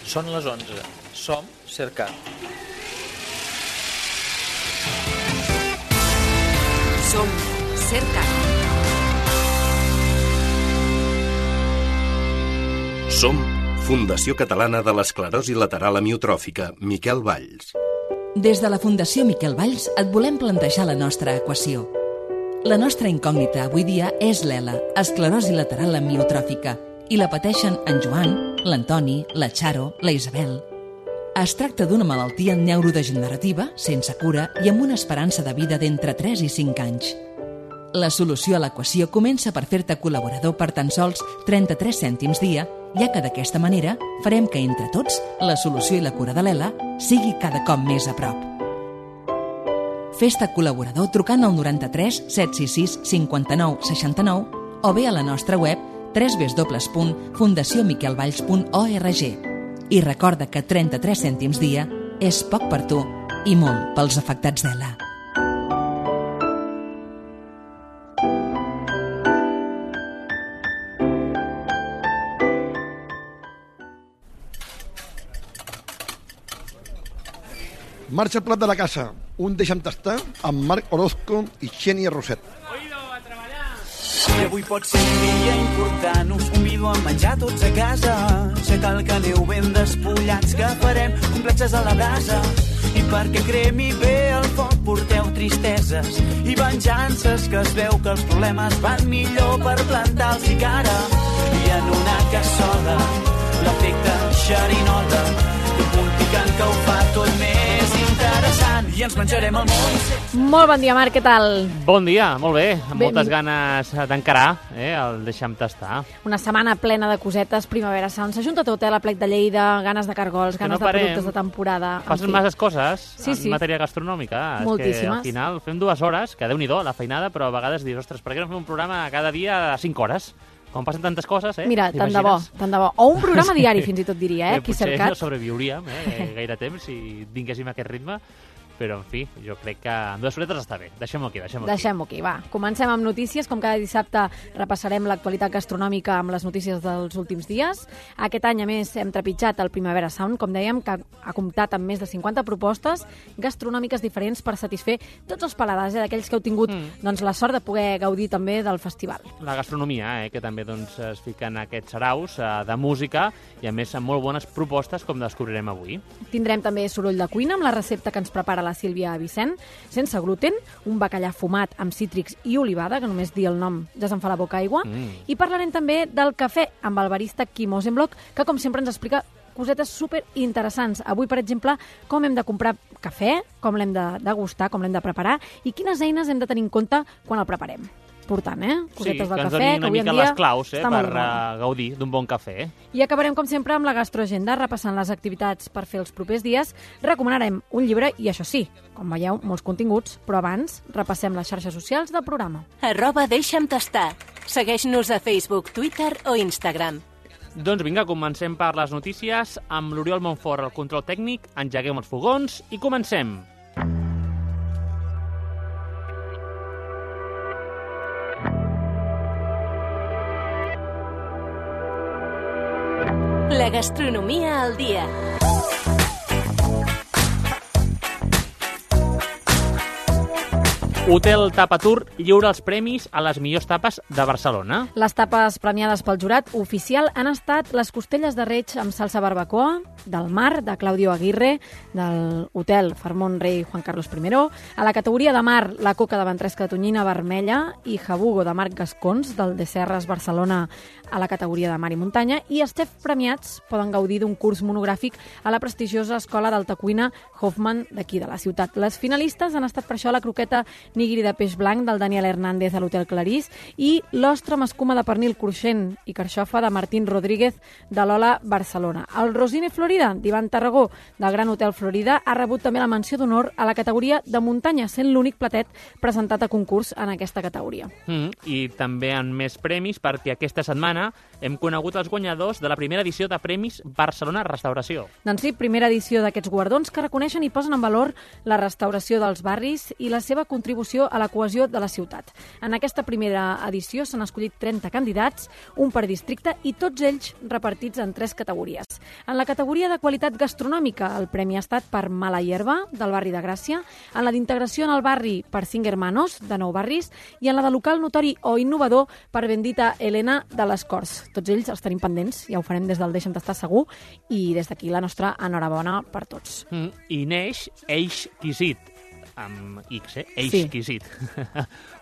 Són les 11. Som Cercat. Som Cercat. Som Fundació Catalana de l'Esclerosi Lateral Amiotròfica, Miquel Valls. Des de la Fundació Miquel Valls et volem plantejar la nostra equació. La nostra incògnita avui dia és l'ELA, esclerosi lateral amiotròfica, i la pateixen en Joan, l'Antoni, la Charo, la Isabel. Es tracta d'una malaltia neurodegenerativa, sense cura i amb una esperança de vida d'entre 3 i 5 anys. La solució a l'equació comença per fer-te col·laborador per tan sols 33 cèntims dia, ja que d'aquesta manera farem que entre tots la solució i la cura de l'ELA sigui cada cop més a prop. Fes-te col·laborador trucant al 93 766 59 69 o bé a la nostra web www.fundaciomiquelvalls.org. I recorda que 33 cèntims dia és poc per tu i molt pels afectats d'ELA. Marxa al plat de la casa, un deixa'm tastar amb Marc Orozco i Xènia Roset. Oído, a treballar! I avui pot ser un dia important, us convido a menjar tots a casa. Ja cal que aneu ben despullats, que farem complexes a la brasa. I perquè cremi bé el foc porteu tristeses i venjances, que es veu que els problemes van millor per plantar-los i cara. I en una cassola, l'efecte xerinola, un punt picant que ho fa tot més interessant, i ens menjarem el món. Molt bon dia, Marc, què tal? Bon dia, molt bé, amb moltes ganes d'encarar el Deixa'm tastar. Una setmana plena de cosetes, Primavera Sound, s'ajunta tot, la plec de Lleida, ganes de cargols, ganes de productes de temporada. Passen masses coses en matèria gastronòmica. Moltíssimes. És que al final fem 2 hores, que Déu-n'hi-do, la feinada, però a vegades dius, ostres, per què no fem un programa cada dia a 5 hores? Com passen tantes coses, Mira, tant de bo. O un programa diari, fins i tot diria, aquí cercat. Potser no sobreviuríem gaire temps si tinguéssim aquest ritme, però, en fi, jo crec que amb 2 horetes està bé. Deixem-ho aquí. Deixem-ho aquí, va. Comencem amb notícies. Com cada dissabte repassarem l'actualitat gastronòmica amb les notícies dels últims dies. Aquest any, a més, hem trepitjat el Primavera Sound, com dèiem, que ha comptat amb més de 50 propostes gastronòmiques diferents per satisfer tots els paladars, d'aquells que heu tingut la sort de poder gaudir també del festival. La gastronomia, que també es fica en aquests saraus de música i, a més, amb molt bones propostes, com descobrirem avui. Tindrem també soroll de cuina amb la recepta que ens prepara la Sílvia Vicent, sense gluten, un bacallà fumat amb cítrics i olivada, que només dir el nom ja se'n fa la boca aigua, i parlarem també del cafè amb el barista Quim Osenblock, que com sempre ens explica cosetes super interessants. Avui, per exemple, com hem de comprar cafè, com l'hem de degustar, com l'hem de preparar i quines eines hem de tenir en compte quan el preparem. Important, cosetes del cafè, que avui en dia... Sí, que ens doni una mica les claus per gaudir d'un bon cafè. I acabarem, com sempre, amb la gastroagenda, repassant les activitats per fer els propers dies. Recomanarem un llibre i, això sí, com veieu, molts continguts, però abans repassem les xarxes socials del programa. @deixa'm tastar. Segueix-nos a Facebook, Twitter o Instagram. Doncs vinga, comencem per les notícies amb l'Oriol Montfort al control tècnic, engeguem els fogons i comencem. La gastronomia al dia. Hotel Tapatur lliura els premis a les millors tapes de Barcelona. Les tapes premiades pel jurat oficial han estat les costelles de reig amb salsa barbacoa, del Mar, de Claudio Aguirre, del Hotel Farmón Rei Juan Carlos I. A la categoria de Mar, la coca de ventresca de tonyina vermella i jabugo de Marc Gascons, del de Serres Barcelona, a la categoria de Mar i Muntanya. I els xefs premiats poden gaudir d'un curs monogràfic a la prestigiosa Escola d'Alta Cuina Hoffman d'aquí de la ciutat. Les finalistes han estat per això la croqueta nigiri de peix blanc del Daniel Hernández a l'Hotel Clarís i l'ostra amb escuma de pernil cruixent i carxofa de Martín Rodríguez de l'Ola Barcelona. El Rosine Florida d'Ivan Tarragó del Gran Hotel Florida ha rebut també la menció d'honor a la categoria de muntanya, sent l'únic platet presentat a concurs en aquesta categoria. I també en més premis perquè aquesta setmana setmana hem conegut els guanyadors de la primera edició de Premis Barcelona Restauració. Doncs sí, primera edició d'aquests guardons que reconeixen i posen en valor la restauració dels barris i la seva contribució a la cohesió de la ciutat. En aquesta primera edició s'han escollit 30 candidats, un per districte, i tots ells repartits en 3 categories. En la categoria de qualitat gastronòmica, el premi ha estat per Mala Hierba, del barri de Gràcia, en la d'integració en el barri per 5 Hermanos, de 9 barris, i en la de local notori o innovador per Bendita Elena de les Corts. Tots ells els tenim pendents, ja ho farem des del Deixa'm Tastar segur, i des d'aquí la nostra enhorabona per tots. I neix Exquisit, amb X, Exquisit.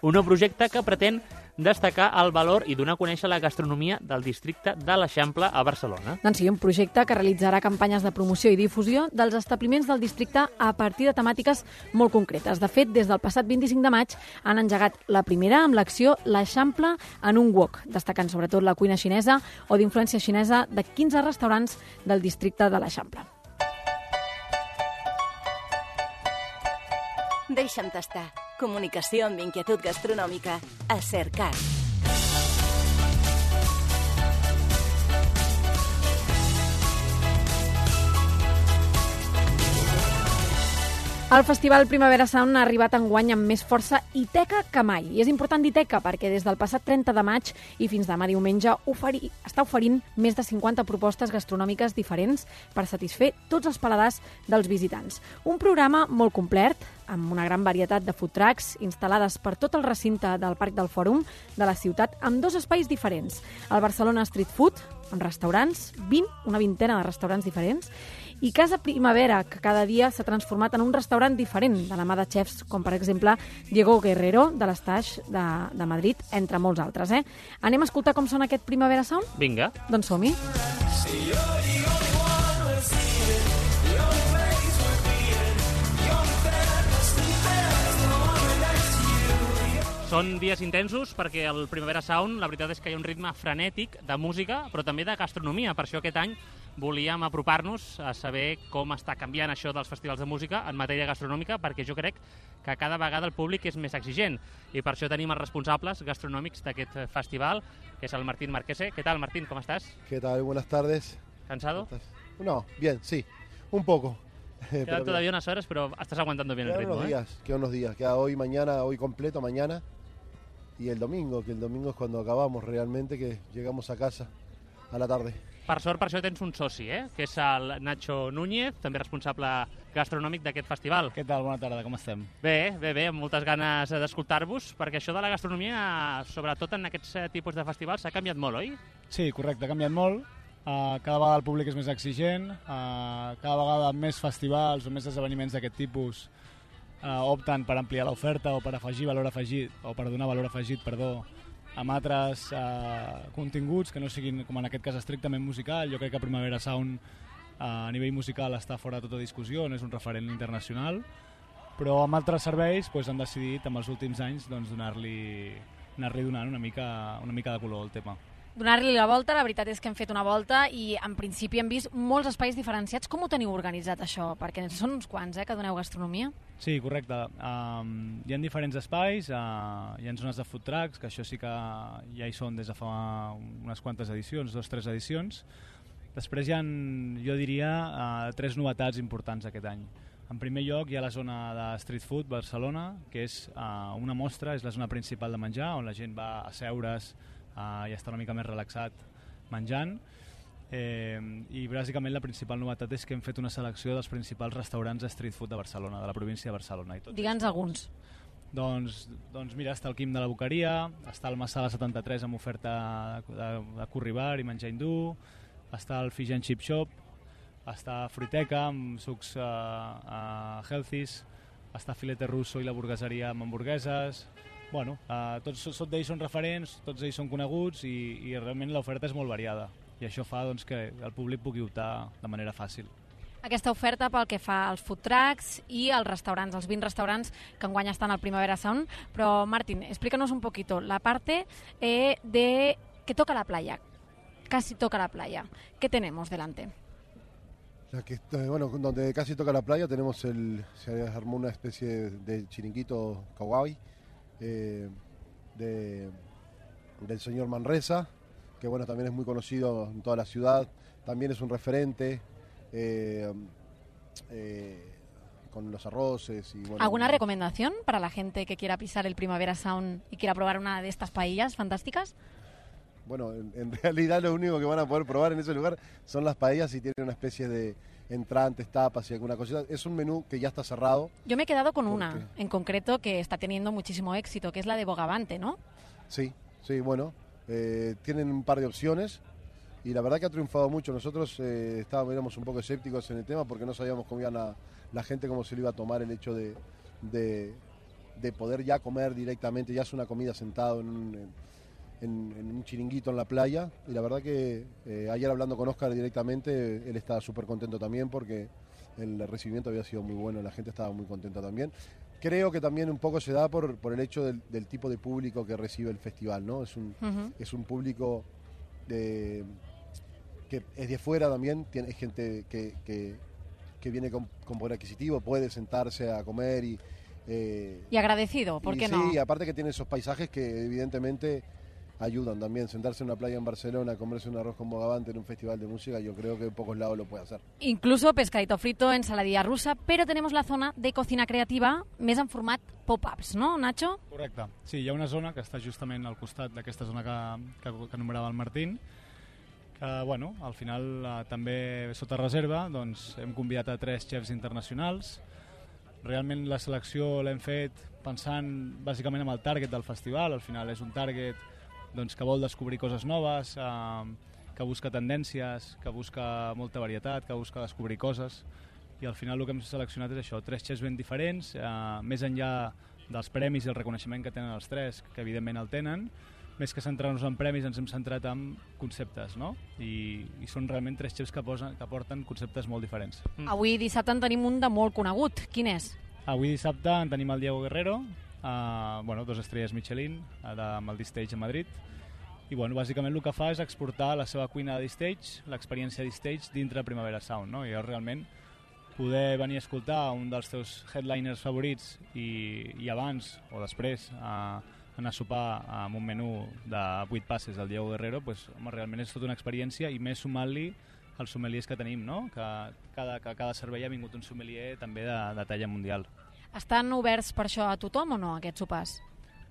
Un nou projecte que pretén destacar el valor i donar a conèixer la gastronomia del districte de l'Eixample a Barcelona. Doncs sí, un projecte que realitzarà campanyes de promoció i difusió dels establiments del districte a partir de temàtiques molt concretes. De fet, des del passat 25 de maig han engegat la primera amb l'acció L'Eixample en un wok, destacant sobretot la cuina xinesa o d'influència xinesa de 15 restaurants del districte de l'Eixample. Deixa'm tastar. Comunicació amb inquietud gastronòmica. A Cercat. El Festival Primavera Sound ha arribat enguany amb més força i teca que mai. I és important dir teca perquè des del passat 30 de maig i fins demà diumenge està oferint més de 50 propostes gastronòmiques diferents per satisfer tots els paladars dels visitants. Un programa molt complet, amb una gran varietat de food trucks instal·lades per tot el recinte del Parc del Fòrum de la ciutat amb 2 espais diferents. El Barcelona Street Food, amb restaurants, una vintena de restaurants diferents, i Casa Primavera, que cada dia s'ha transformat en un restaurant diferent, de la mà de xefs com, per exemple, Diego Guerrero, de l'Estaix de Madrid, entre molts altres. Anem a escoltar com sona aquest Primavera Sound? Vinga. Doncs som-hi. Són dies intensos perquè el Primavera Sound, la veritat és que hi ha un ritme frenètic de música, però també de gastronomia. Per això aquest any volíem apropar-nos a saber com està canviant això dels festivals de música en matèria gastronòmica, perquè jo crec que cada vegada el públic és més exigent. I per això tenim els responsables gastronòmics d'aquest festival, que es el Martín Marquese. ¿Qué tal, Martín? ¿Cómo estás? ¿Qué tal? Buenas tardes. ¿Cansado? No, bien, sí. Un poco. Quedan todavía unas horas, pero estás aguantando bien el ritmo. Quedan unos días. Queda hoy, mañana, hoy completo, mañana. Y el domingo, que el domingo es cuando acabamos realmente, que llegamos a casa a la tarde. Per sort, per això tens un soci, que és el Nacho Núñez, també responsable gastronòmic d'aquest festival. Què tal? Bona tarda, com estem? Bé, amb moltes ganes d'escoltar-vos, perquè això de la gastronomia, sobretot en aquests tipus de festivals, s'ha canviat molt, oi? Sí, correcte, ha canviat molt. Cada vegada el públic és més exigent, cada vegada més festivals o més esdeveniments d'aquest tipus opten per ampliar l'oferta o per afegir valor afegit, o per donar valor afegit, amb altres continguts que no siguin, com en aquest cas, estrictament musical. Jo crec que Primavera Sound a nivell musical està fora de tota discussió, no és un referent internacional, però amb altres serveis han decidit, en els últims anys, anar-li donant una mica de color al tema. Donar-li la volta, la veritat és que hem fet una volta i en principi hem vist molts espais diferenciats. Com ho teniu organitzat això? Perquè són uns quants, que doneu gastronomia. Sí, correcte. Hi ha diferents espais, hi ha zones de food trucks, que això sí que ja hi són des de fa unes quantes edicions, 2 o 3 edicions. Després hi ha, jo diria, 3 novetats importants aquest any. En primer lloc hi ha la zona de Street Food Barcelona, que és una mostra, és la zona principal de menjar, on la gent va a seure's i està una mica més relaxat menjant. I bàsicament la principal novetat és que hem fet una selecció dels principals restaurants de street food de Barcelona, de la província de Barcelona. Digue'ns alguns. Doncs mira, està el Quim de la Boqueria, està el Massala 73 amb oferta de curry bar i menjar hindú, està el Fish and Chip Shop, està Fruiteca amb sucs healthies, està Filete Russo i la burgueseria amb hamburgueses. Bueno, tots ells són referents, tots ells són coneguts i realment l'oferta és molt variada i això fa que el públic pugui optar de manera fàcil. Aquesta oferta pel que fa als food trucks i als restaurants, els 20 restaurants que enguany estan al Primavera Sound. Però, Martín, explícanos un poquito la parte de que toca la playa, casi toca la playa. ¿Qué tenemos delante? Donde casi toca la playa se armó una especie de chiringuito kawaii del señor Manresa, bueno, también es muy conocido en toda la ciudad, también es un referente con los arroces. Y, bueno, ¿Alguna recomendación para la gente que quiera pisar el Primavera Sound y quiera probar una de estas paellas fantásticas? Bueno, en realidad lo único que van a poder probar en ese lugar son las paellas y tienen una especie de entrantes, tapas y alguna cosita. Es un menú que ya está cerrado. Yo me he quedado con una en concreto que está teniendo muchísimo éxito, que es la de Bogavante, ¿no? Sí, bueno, tienen un par de opciones y la verdad que ha triunfado mucho. Nosotros éramos un poco escépticos en el tema porque no sabíamos cómo iban la gente, cómo se lo iba a tomar el hecho de poder ya comer directamente, ya es una comida sentado en un chiringuito en la playa, y la verdad que ayer hablando con Óscar directamente, él estaba súper contento también porque el recibimiento había sido muy bueno, la gente estaba muy contenta también. Creo que también un poco se da por el hecho del tipo de público que recibe el festival, ¿no? Es un público que es de fuera también, es gente que viene con poder adquisitivo, puede sentarse a comer y agradecido, ¿por qué no? Sí, aparte que tiene esos paisajes que evidentemente ayudan también. Sentarse en una playa en Barcelona, comerse un arroz con bogavante en un festival de música, yo creo que en pocos lados lo puede hacer. Incluso pescadito frito, ensaladilla rusa, però tenemos la zona de cocina creativa més en format pop-ups, no, Nacho? Correcte. Sí, hi ha una zona que està justament al costat d'aquesta zona que enumerava el Martín, que, bueno, al final també sota reserva doncs, hem convidat a 3 xefs internacionals. Realment la selecció l'hem fet pensant bàsicament en el target del festival. Al final és un target doncs, que vol descobrir coses noves, que busca tendències, que busca molta varietat, que busca descobrir coses, i al final el que hem seleccionat és això, 3 xefs ben diferents, més enllà dels premis i el reconeixement que tenen els 3, que evidentment el tenen, més que centrar-nos en premis ens hem centrat en conceptes, no? I són realment 3 xefs que porten conceptes molt diferents. Avui dissabte en tenim un de molt conegut, quin és? Avui dissabte en tenim el Diego Guerrero, 2 estrelles Michelin amb el D-Stage a Madrid, i bueno, bàsicament el que fa és exportar la seva cuina de D-Stage, l'experiència de D-Stage dintre Primavera Sound, no? I és realment poder venir a escoltar un dels teus headliners favorits i abans o després anar a sopar amb un menú de 8 passes del Diego Guerrero, pues, home, realment és tota una experiència, i més sumant-li els sommeliers que tenim, no? Que cada servei ha vingut un sommelier també de talla mundial. Estan oberts per això a tothom o no, aquests sopars?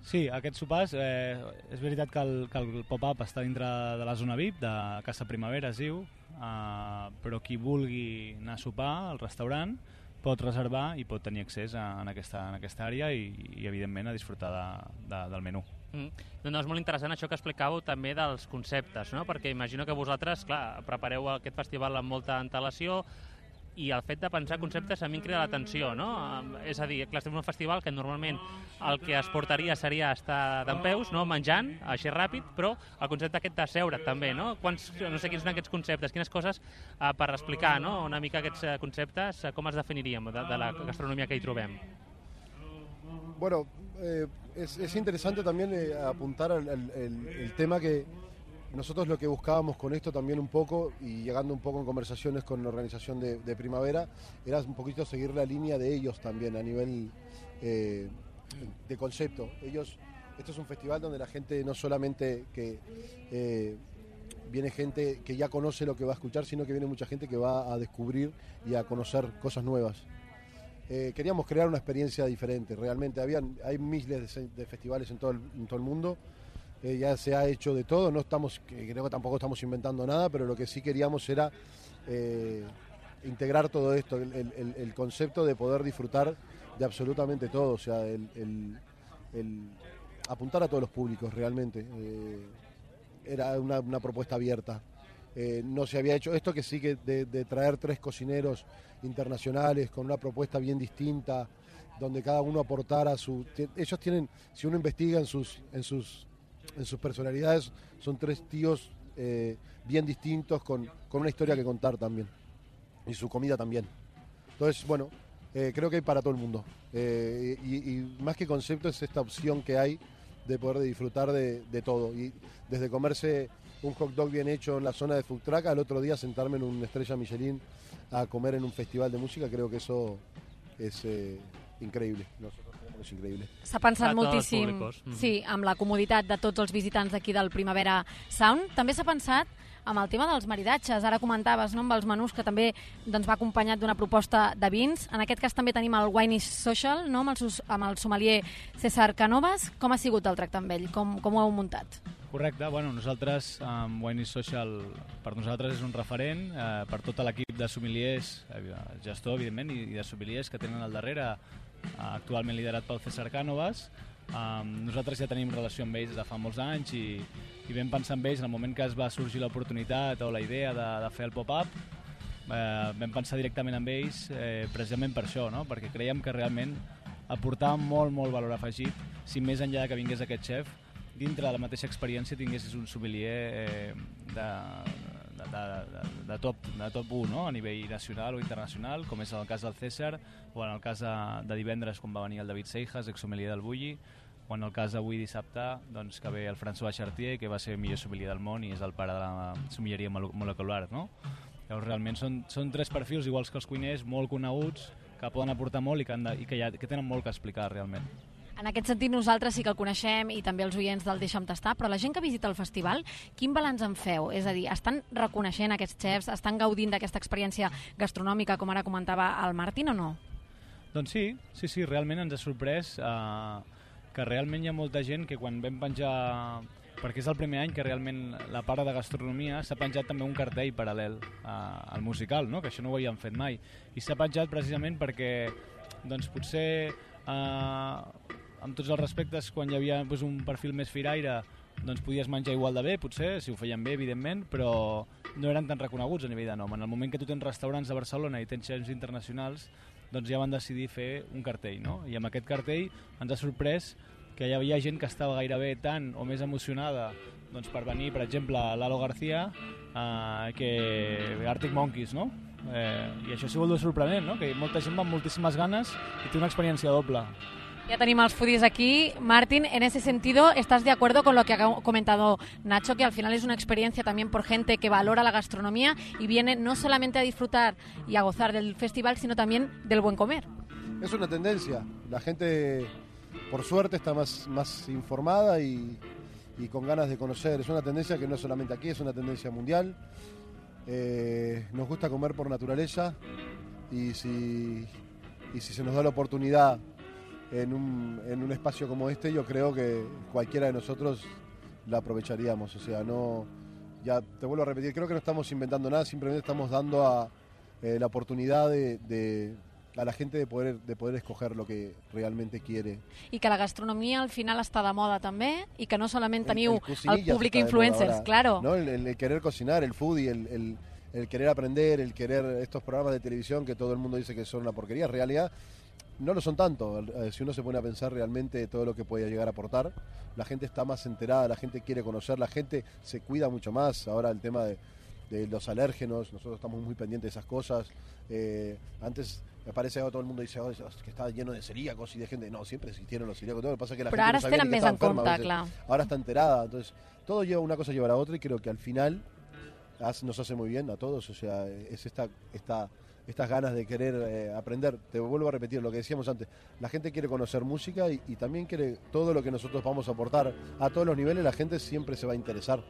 Sí, aquests sopars, és veritat que el pop-up està dintre de la zona VIP, de Casa Primavera es diu, però qui vulgui anar a sopar al restaurant pot reservar i pot tenir accés en aquesta àrea i evidentment a disfrutar del menú. Doncs és molt interessant això que explicàveu també dels conceptes, no? Perquè imagino que vosaltres, clar, prepareu aquest festival amb molta antelació, i el fet de pensar conceptes a mi em crida l'atenció, no? És a dir, clar, estem en un festival que normalment el que es portaria seria estar dempeus, no? Menjant, així ràpid, però el concepte aquest de seure també, no? No sé quins són aquests conceptes, quines coses per explicar, no? Una mica aquests conceptes, com els definiríem de la gastronomia que hi trobem? Bueno, es interesante también apuntar el tema que nosotros lo que buscábamos con esto también un poco, y llegando un poco en conversaciones con la organización de Primavera, era un poquito seguir la línea de ellos también a nivel de concepto. Esto es un festival donde la gente no solamente viene gente que ya conoce lo que va a escuchar, sino que viene mucha gente que va a descubrir y a conocer cosas nuevas. Queríamos crear una experiencia diferente, realmente. Hay miles de festivales en todo el mundo. Ya se ha hecho de todo, creo que tampoco estamos inventando nada, pero lo que sí queríamos era integrar todo esto, el concepto de poder disfrutar de absolutamente todo, o sea, el apuntar a todos los públicos realmente. Era una propuesta abierta. No se había hecho esto, que sí, que de traer 3 cocineros internacionales con una propuesta bien distinta, donde cada uno aportara ellos tienen, si uno investiga en sus personalidades, son 3 tíos bien distintos, con una historia que contar también, y su comida también. Entonces, bueno, creo que hay para todo el mundo, y más que concepto es esta opción que hay de poder disfrutar de todo, y desde comerse un hot dog bien hecho en la zona de food truck al otro día sentarme en una estrella Michelin a comer en un festival de música, creo que eso es increíble. Nosotros tenemos es increíble. S'ha pensat A tots els moltíssim, públicos. sí, amb la comoditat de tots els visitants d'aquí del Primavera Sound. També s'ha pensat amb el tema dels maridatges. Ara comentaves, no?, amb els menús, que també doncs, va acompanyat d'una proposta de vins. En aquest cas també tenim el Wine is Social, no?, amb el sommelier César Canovas. Com ha sigut el tracte amb ell? Com ho heu muntat? Correcte, bueno, nosaltres, Wine is Social, per nosaltres és un referent, per tot l'equip de sommeliers, gestor, evidentment, i de sommeliers que tenen al darrere, actualment liderat pel César Canovas. Nosaltres ja tenim relació amb ells des de fa molts anys i vam pensar en ells en el moment que es va sorgir l'oportunitat o la idea de fer el pop-up. Vam pensar directament amb ells precisament per això, no? Perquè creiem que realment aportava molt, molt valor afegit si més enllà que vingués aquest xef, dintre de la mateixa experiència tinguessis un sommelier de top 1, no?, a nivell nacional o internacional, com és el cas del César, o en el cas de divendres quan va venir el David Seijas, ex-sommelier del Bulli, o en el cas d'avui dissabte, doncs, que ve el François Chartier, que va ser millor sommelier del món i és el pare de la sommelleria molecular, no? Llavors realment són tres perfils, iguals que els cuiners, molt coneguts, que poden aportar molt i que tenen molt que explicar realment. En aquest sentit, nosaltres sí que el coneixem i també els oients del Deixa'm Tastar, però la gent que visita el festival, quin balanç en feu? És a dir, estan reconeixent aquests xefs, estan gaudint d'aquesta experiència gastronòmica, com ara comentava el Martín, o no? Doncs sí, realment ens ha sorprès que realment hi ha molta gent que quan vam penjar, perquè és el primer any que realment la part de gastronomia s'ha penjat també un cartell paral·lel al musical, no?, que això no ho havíem fet mai, i s'ha penjat precisament perquè doncs, potser amb tots els respectes, quan hi havia doncs, un perfil més firaire, doncs podies menjar igual de bé, potser, si ho feien bé, evidentment, però no eren tan reconeguts a nivell de nom. En el moment que tu tens restaurants a Barcelona i tens xefs internacionals, doncs ja van decidir fer un cartell, no? I amb aquest cartell ens ha sorprès que hi havia gent que estava gairebé tan o més emocionada doncs, per venir, per exemple, a Lalo García, que Arctic Monkeys, no? I això ha sigut sorprenent, ¿no?, que molta gent va amb moltíssimes ganes i té una experiencia doble. Ya tenemos los foodies aquí. Martín, en ese sentido, ¿estás de acuerdo con lo que ha comentado Nacho, que al final es una experiencia también por gente que valora la gastronomía y viene no solamente a disfrutar y a gozar del festival, sino también del buen comer? Es una tendencia. La gente, por suerte, está más informada y con ganas de conocer. Es una tendencia que no es solamente aquí, es una tendencia mundial. Nos gusta comer por naturaleza y si se nos da la oportunidad en un espacio como este, yo creo que cualquiera de nosotros la aprovecharíamos. O sea, no, ya te vuelvo a repetir, creo que no estamos inventando nada, simplemente estamos dando la oportunidad a la gente de poder escoger lo que realmente quiere. I que la gastronomia al final està de moda també i que no solament teniu el públic influencers, claro. ¿No? El querer cocinar, el foodie, el querer aprender, el querer estos programas de televisión que todo el mundo dice que son una porquería, en realidad no lo son tanto. Si uno se pone a pensar realmente todo lo que puede llegar a aportar, la gente está más enterada, la gente quiere conocer, la gente se cuida mucho más. Ahora el tema de los alérgenos, nosotros estamos muy pendientes de esas cosas. Antes me parece que todo el mundo dice que está lleno de celíacos y de gente. No, siempre existieron los celíacos, todo. Lo que pasa es que la gente no sabía que estaba enferma. Claro. Ahora está enterada. Entonces, todo lleva una cosa lleva a la otra y creo que al final nos hace muy bien a todos. O sea, es estas ganas de querer aprender. Te vuelvo a repetir lo que decíamos antes. La gente quiere conocer música y también quiere todo lo que nosotros vamos a aportar a todos los niveles. La gente siempre se va a interesar.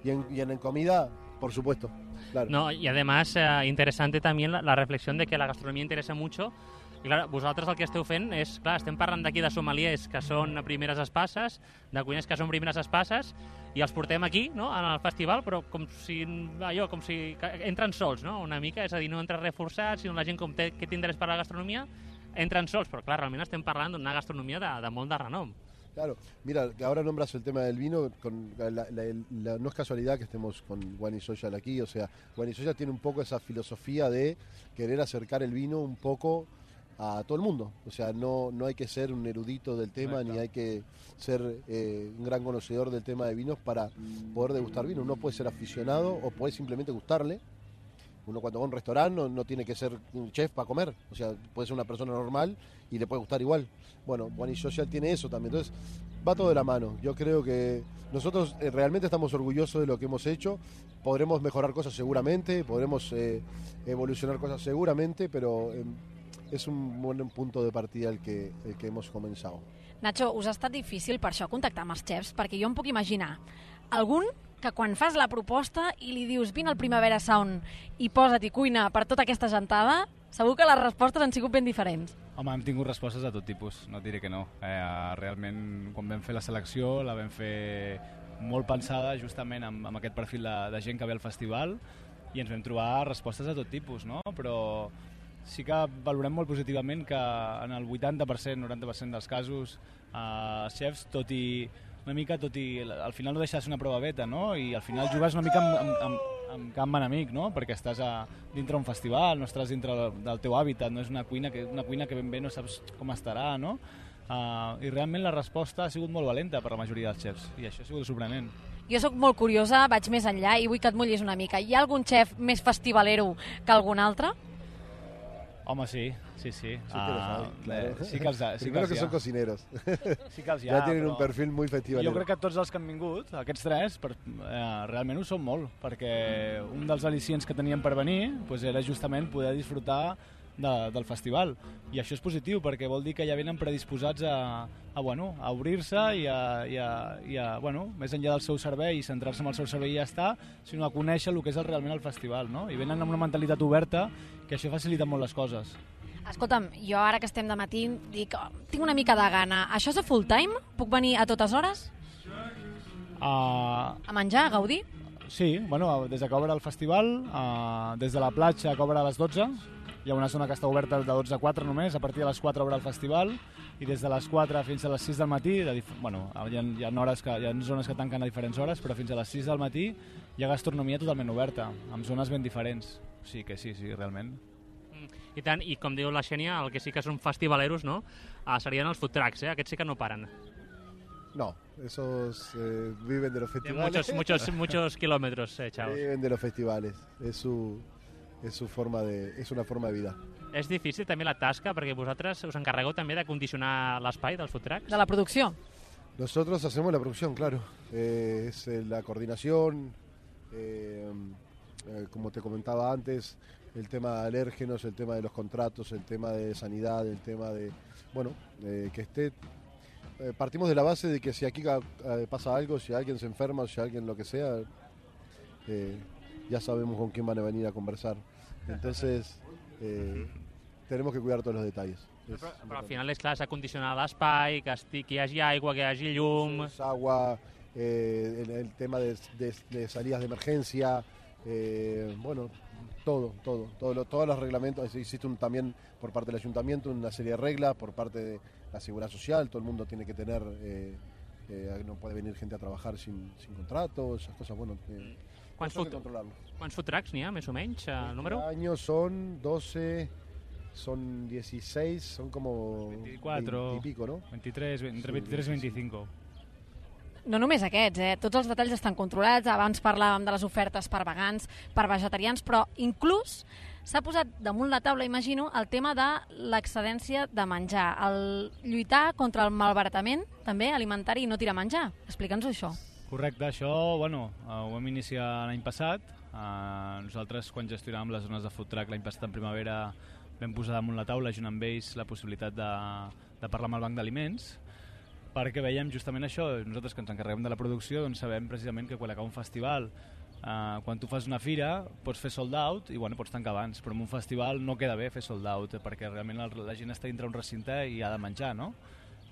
Y en comida, por supuesto. Claro. No, y además interesante también la reflexión de que la gastronomía interesa mucho. I clar, vosaltres el que esteu fent és, clar, estem parlant d'aquí de sommeliers que són primeres espasses, de cuiners que són primeres espasses, i els portem aquí, no?, en el festival, però com si entren sols, no?, una mica, és a dir, no entra reforçat, sinó la gent com té interès per la gastronomia, entren sols, però clar, realment estem parlant d'una gastronomia de molt de renom. Claro, mira, ahora nombras el tema del vino, no es casualidad que estemos con Wine is Social aquí, o sea, Wine is Social tiene un poco esa filosofía de querer acercar el vino un poco a todo el mundo, o sea, no hay que ser un erudito del tema, ni hay que ser un gran conocedor del tema de vinos para poder degustar vino. Uno puede ser aficionado o puede simplemente gustarle. Uno cuando va a un restaurante no tiene que ser un chef para comer, o sea, puede ser una persona normal y le puede gustar igual. Bueno, Wine is Social tiene eso también, entonces va todo de la mano. Yo creo que nosotros realmente estamos orgullosos de lo que hemos hecho, podremos mejorar cosas seguramente, podremos evolucionar cosas seguramente, pero es un buen punto de partida el que hemos comenzado. Nacho, us ha estat difícil per això contactar amb els xefs? Perquè jo em puc imaginar algun que quan fas la proposta i li dius vine al Primavera Sound i posa't i cuina per tota aquesta gentada, segur que les respostes han sigut ben diferents. Home, hem tingut respostes de tot tipus, no et diré que no. Realment, quan vam fer la selecció, la vam fer molt pensada justament amb aquest perfil de gent que ve al festival i ens vam trobar respostes de tot tipus, no? Però sí que valorem molt positivament que en el 80%, 90% dels casos els xefs, tot i al final no deixa de ser una prova beta, no? I al final jugues una mica amb camp enemic, no? Perquè estàs dintre un festival, no estàs dintre del teu hàbitat, no és una cuina que ben bé no saps com estarà, no? I realment la resposta ha sigut molt valenta per la majoria dels xefs i això ha sigut sorprenent. Jo sóc molt curiosa, vaig més enllà i vull que et mullis una mica. Hi ha algun xef més festivalero que algun altre? Home, sí. Sí que los hay, claro. Sí que els ha. Primero que son cocineros. Sí que els ja tienen un perfil muy festivalero. Jo crec que tots els que han vingut, aquests tres, realment ho són molt, perquè un dels al·licients que teníem per venir era justament poder disfrutar del festival. I això és positiu, perquè vol dir que ja venen predisposats a obrir-se i més enllà del seu servei i centrar-se en el seu servei i ja està, sinó a conèixer el que és realment el festival, no? I venen amb una mentalitat oberta, que això facilita molt les coses. Escolta'm, jo ara que estem de matí dic, tinc una mica de gana. Això és a full time? Puc venir a totes hores? A menjar, a gaudir? Sí, des que obre el festival, des de la platja que obre a les 12, hi ha una zona que està oberta de 12 a 4 només, a partir de les 4 obre el festival, i des de les 4 fins a les 6 del matí, hi ha zones que tanquen a diferents hores, però fins a les 6 del matí hi ha gastronomia totalment oberta, amb zones ben diferents. O sigui que sí, realment. I tant, i com diu la Xènia, el que sí que són festivaleros, no? Serien els food trucks, aquests sí que no paren. No, esos viven de los festivales. Muchos kilómetros, chavos. Viven de los festivales, es una forma de vida. És difícil també la tasca, perquè vosaltres us encarregueu també de condicionar l'espai dels food trucks? De la producció. Nosotros hacemos la producción, claro. Es la coordinación, como te comentaba antes, el tema de alérgenos, el tema de los contratos, el tema de sanidad, el tema de, que esté... partimos de la base de que si aquí pasa algo, si alguien se enferma, si alguien lo que sea, ya sabemos con quién van a venir a conversar. Entonces, tenemos que cuidar todos los detalles. Però al final és clar, s'ha condicionat l'espai, que hi hagi aigua, que hi hagi llum... Agua, el tema de salidas de emergencia, todos los reglamentos. Existe también por parte del ayuntamiento una serie de reglas, por parte de la seguridad social, todo el mundo tiene que tener, no puede venir gente a trabajar sin contrato, esas cosas, Quants food trucks n'hi ha, més o menys, número? Este año son 12, son 16, son como 24 20 y pico, ¿no? 23, entre 23 i 25. No només aquests, tots els detalls estan controlats. Abans parlàvem de les ofertes per vegans, per vegetarians, però inclús s'ha posat damunt la taula, imagino, el tema de l'excedència de menjar, el lluitar contra el malbaratament també alimentari i no tirar menjar. Explica'ns això. Correcte, això ho vam iniciar l'any passat. Nosaltres, quan gestionàvem les zones de food truck l'any passat en primavera, vam posar damunt la taula, junt amb ells, la possibilitat de parlar amb el banc d'aliments, perquè veiem justament això. Nosaltres, que ens encarreguem de la producció, doncs sabem precisament que quan acaba un festival, quan tu fas una fira, pots fer sold out i pots tancar abans, però en un festival no queda bé fer sold out, perquè realment la gent està dintre un recinte i ha de menjar, no?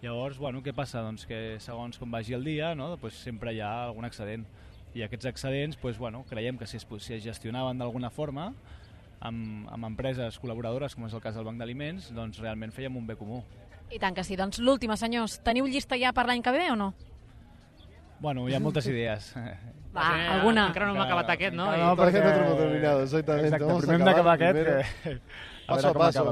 Llavors, què passa? Doncs que segons com vagi el dia, no? Pues sempre hi ha algun excedent. I aquests excedents, creiem que si es gestionaven d'alguna forma, amb empreses col·laboradores, com és el cas del Banc d'Aliments, doncs realment fèiem un bé comú. I tant que sí. Doncs l'última, senyors, teniu llista ja per l'any que ve o no? Hi ha moltes idees. Alguna? Encara no hem acabat aquest, no? No, perquè no hem terminado, exactament. Exacte, primer hem d'acabar aquest, paso a paso,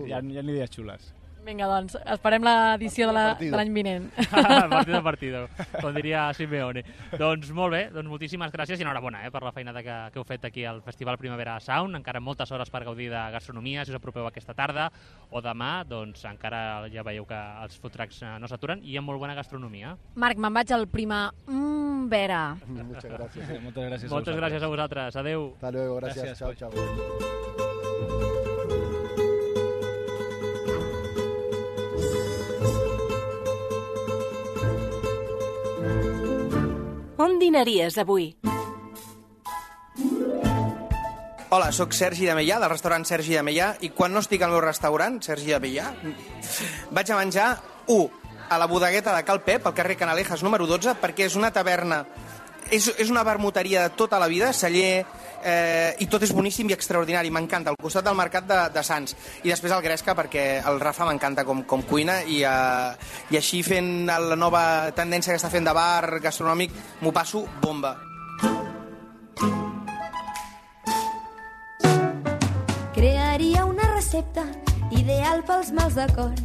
hi ha idees xules. Vinga, doncs, esperem l'edició de l'any vinent. Partido a partido, com diria Simeone. Doncs molt bé, moltíssimes gràcies i enhorabona per la feina que heu fet aquí al Festival Primavera Sound. Encara moltes hores per gaudir de gastronomia, si us apropeu aquesta tarda o demà, doncs encara ja veieu que els food trucks no s'aturen i hi ha molt bona gastronomia. Marc, me'n vaig al Primavera. Muchas gracias. Moltes gràcies a vosaltres. Adéu. Hasta luego, gracias. Chao, chao. On dinaries avui? Hola, sóc Sergi de Meià, del restaurant Sergi de Meià, i quan no estic al meu restaurant, Sergi de Meià, vaig a menjar, a la bodegueta de Cal Pep, al carrer Canalejas número 12, perquè és una taverna, és una vermuteria de tota la vida, celler, i tot és boníssim i extraordinari, m'encanta, al costat del mercat de Sants. I després el Gresca, perquè el Rafa m'encanta com cuina, i així fent la nova tendència que està fent de bar gastronòmic, m'ho passo bomba. Crearia una recepta ideal pels mals de cor.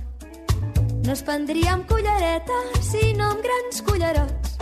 No es prendria amb cullereta, sinó amb grans cullerots.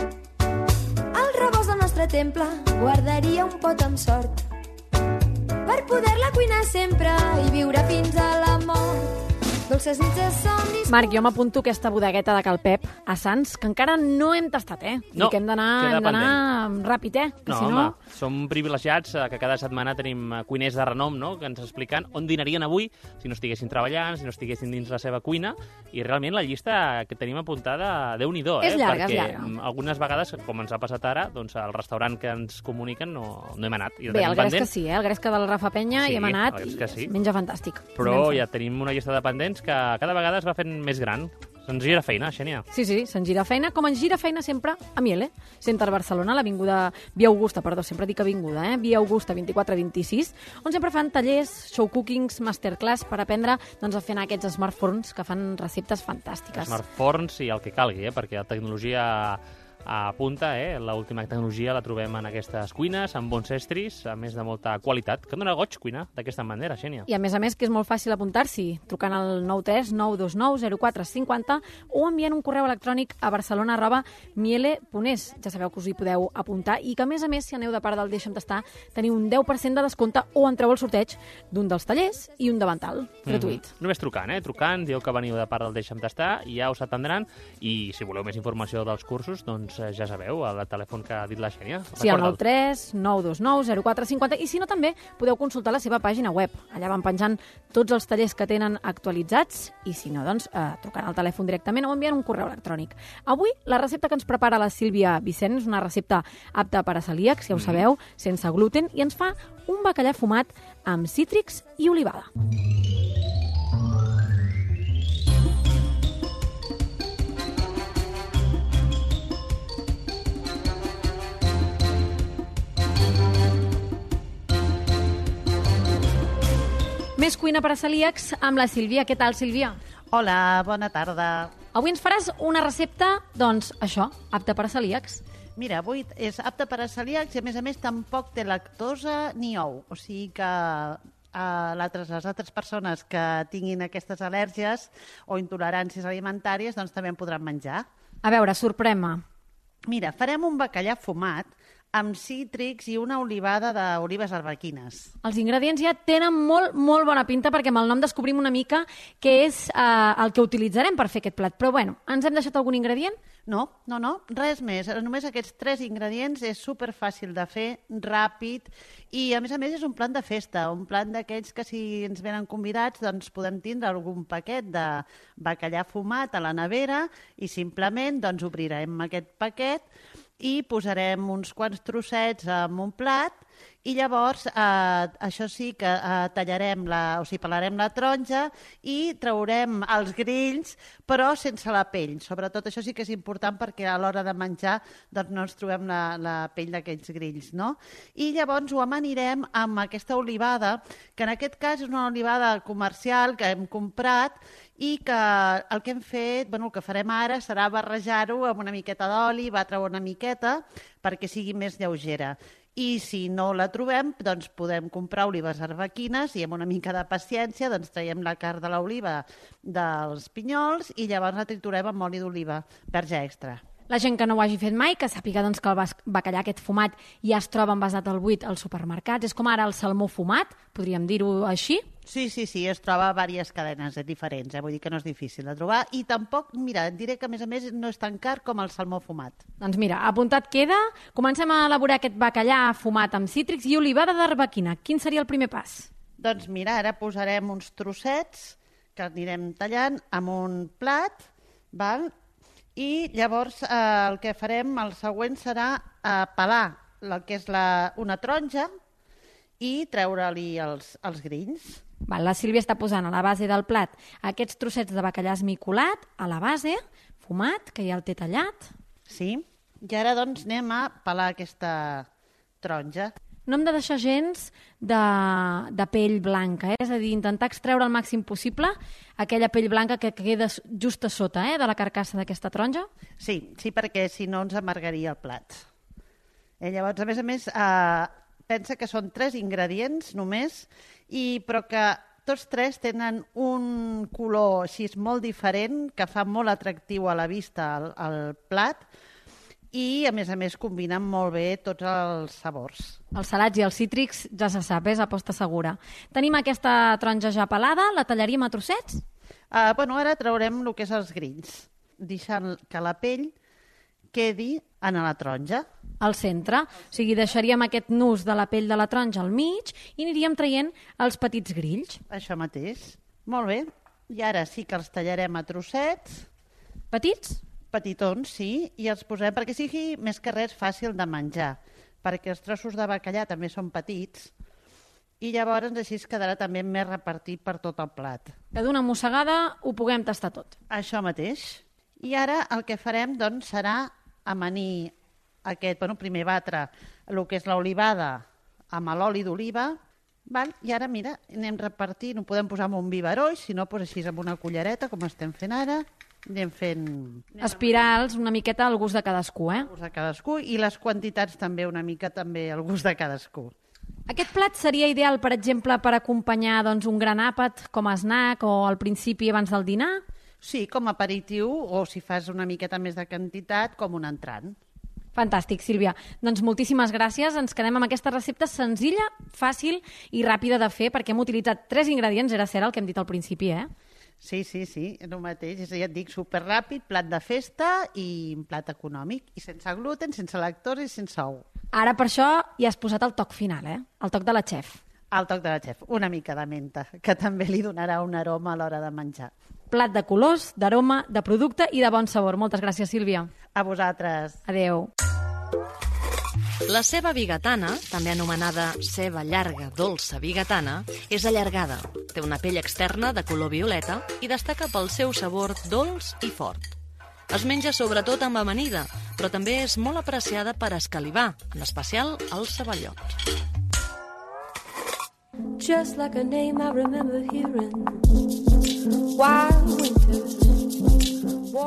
Al rebost del nostre temple guardaria un pot amb sort per poder-la cuinar sempre i viure fins a la mort. Dolces nits de somnis... Marc, jo m'apunto aquesta bodegueta de Cal Pep a Sants, que encara no hem tastat, No, i que hem d'anar ràpid, que no, si no... home, som privilegiats que cada setmana tenim cuiners de renom, no?, que ens expliquen on dinarien avui si no estiguessin treballant, si no estiguessin dins la seva cuina, i realment la llista que tenim apuntada, Déu-n'hi-do, És llarga, perquè és llarga. algunes vegades, com ens ha passat ara, doncs al restaurant que ens comuniquen no hem anat. I Bé, el Gresca sí, el Gresca del Rafa Penya, hi hem anat, i sí. Menja fantàstic. Però ja tenim una llista de pendents que cada vegada es va fent més gran. Se'ns gira feina, Xènia. Sí, se'ns gira feina, com ens gira feina sempre a Miele, Center Barcelona, l'avinguda Via Augusta, sempre dic avinguda, Via Augusta 24-26, on sempre fan tallers, show cookings, masterclass per aprendre a fer aquests smartphones que fan receptes fantàstiques. Smartphones i el que calgui, perquè la tecnologia a punta, l'última tecnologia la trobem en aquestes cuines, amb bons estris, a més de molta qualitat, que dona goig cuinar d'aquesta manera, Xènia. I a més que és molt fàcil apuntar-s'hi, trucant al 93 929 0450 o enviant un correu electrònic a barcelona@miele.es. Ja sabeu que us hi podeu apuntar i que, a més, si aneu de part del Deixa'm Tastar, teniu un 10% de descompte o entreu al sorteig d'un dels tallers i un davantal, gratuït. Només trucant, trucant, dieu que veniu de part del Deixa'm Tastar i ja us atendran, i si voleu més informació dels cursos, doncs ja sabeu, el telèfon que ha dit la Xènia. Sí, el 93 929 0450, i si no també podeu consultar la seva pàgina web. Allà van penjant tots els tallers que tenen actualitzats, i si no, doncs trucant al telèfon directament o enviant un correu electrònic. Avui la recepta que ens prepara la Sílvia Vicent és una recepta apta per a celíacs, ja ho sabeu, sense gluten, i ens fa un bacallà fumat amb cítrics i olivada. Més cuina per a celíacs amb la Sílvia. Què tal, Sílvia? Hola, bona tarda. Avui ens faràs una recepta, doncs, això, apta per a celíacs. Mira, avui és apta per a celíacs i, a més, tampoc té lactosa ni ou. O sigui que les altres persones que tinguin aquestes al·lèrgies o intoleràncies alimentàries doncs també en podran menjar. A veure, sorprèn-me. Mira, farem un bacallà fumat amb cítrics i una olivada d'olives arbequines. Els ingredients ja tenen molt bona pinta, perquè amb el nom descobrim una mica què és el que utilitzarem per fer aquest plat. Però, bueno, ens hem deixat algun ingredient? No, res més. Només aquests 3 ingredients, és superfàcil de fer, ràpid, i a més és un plat de festa, un plat d'aquells que si ens venen convidats doncs podem tindre algun paquet de bacallà fumat a la nevera i simplement doncs obrirem aquest paquet i posarem uns quants trossets en un plat i llavors, això sí que pelarem la taronja i traurem els grills, però sense la pell. Sobretot això sí que és important perquè a l'hora de menjar doncs no ens trobem la pell d'aquells grills, no? I llavors ho amanirem amb aquesta olivada, que en aquest cas és una olivada comercial que hem comprat i que el que hem fet, el que farem ara serà barrejar-ho amb una miqueta d'oli, batre-ho una miqueta perquè sigui més lleugera. I si no la trobem, doncs podem comprar olives arbequines i amb una mica de paciència doncs traiem la carn de l'oliva dels pinyols i llavors la triturem amb oli d'oliva, verge extra. La gent que no ho hagi fet mai, que sàpiga doncs, que el bacallà aquest fumat ja es troba envasat al buit als supermercats. És com ara el salmó fumat, podríem dir-ho així? Sí, es troba a diverses cadenes diferents, vull dir que no és difícil de trobar i tampoc, mira, et diré que a més no és tan car com el salmó fumat. Doncs mira, apuntat queda. Comencem a elaborar aquest bacallà fumat amb cítrics i olivada d'arbequina. Quin seria el primer pas? Doncs mira, ara posarem uns trossets que anirem tallant amb un plat, val? I llavors el que farem, el següent serà pelar el que és una taronja i treure-li els grills. La Sílvia està posant a la base del plat aquests trossets de bacallà esmicolat, a la base, fumat, que ja el té tallat. Sí, i ara doncs anem a pelar aquesta taronja. No hem de deixar gens de pell blanca, és a dir, intentar extreure el màxim possible aquella pell blanca que queda just a sota de la carcassa d'aquesta taronja. Sí, perquè si no ens amargaria el plat. Llavors, a més, pensa que són 3 ingredients només, però que tots 3 tenen un color així molt diferent, que fa molt atractiu a la vista el plat, i a més combinen molt bé tots els sabors. Els salats i els cítrics ja se sap, és aposta segura. Tenim aquesta taronja ja pelada, la tallaríem a trossets? Ara traurem el que és els grills, deixant que la pell quedi en la taronja. Al centre, o sigui, deixaríem aquest nus de la pell de la taronja al mig i aniríem traient els petits grills. Això mateix. Molt bé. I ara sí que els tallarem a trossets. Petits? Petitons, sí, i els posem perquè sigui més que res fàcil de menjar, perquè els trossos de bacallà també són petits i llavors així es quedarà també més repartit per tot el plat. Que d'una mossegada ho puguem tastar tot. Això mateix. I ara el que farem doncs, serà amanir primer batre el que és l'olivada amb l'oli d'oliva, i ara, mira, anem repartint, ho podem posar amb un biberó, i si no, doncs així amb una cullereta, com estem fent ara, anem fent... Espirals una miqueta al gust de cadascú, Al gust de cadascú, i les quantitats també una mica també al gust de cadascú. Aquest plat seria ideal, per exemple, per acompanyar un gran àpat, com a snack o al principi abans del dinar? Sí, com a aperitiu, o si fas una miqueta més de quantitat, com un entrant. Fantàstic, Sílvia. Doncs moltíssimes gràcies. Ens quedem amb aquesta recepta senzilla, fàcil i ràpida de fer, perquè hem utilitzat 3 ingredients, era cert el que hem dit al principi, Sí, el mateix. Ja et dic, superràpid, plat de festa i plat econòmic. I sense gluten, sense lactosa i sense ou. Ara per això ja has posat el toc final, el toc de la xef. El toc de la xef, una mica de menta, que també li donarà un aroma a l'hora de menjar. Plat de colors, d'aroma, de producte i de bon sabor. Moltes gràcies, Sílvia. A vosaltres. Adéu. La ceba bigatana, també anomenada ceba llarga dolça bigatana, és allargada, té una pell externa de color violeta i destaca pel seu sabor dolç i fort. Es menja sobretot amb amanida, però també és molt apreciada per escalivar, en especial els ceballots. Just like a name I remember hearing. Wild winter.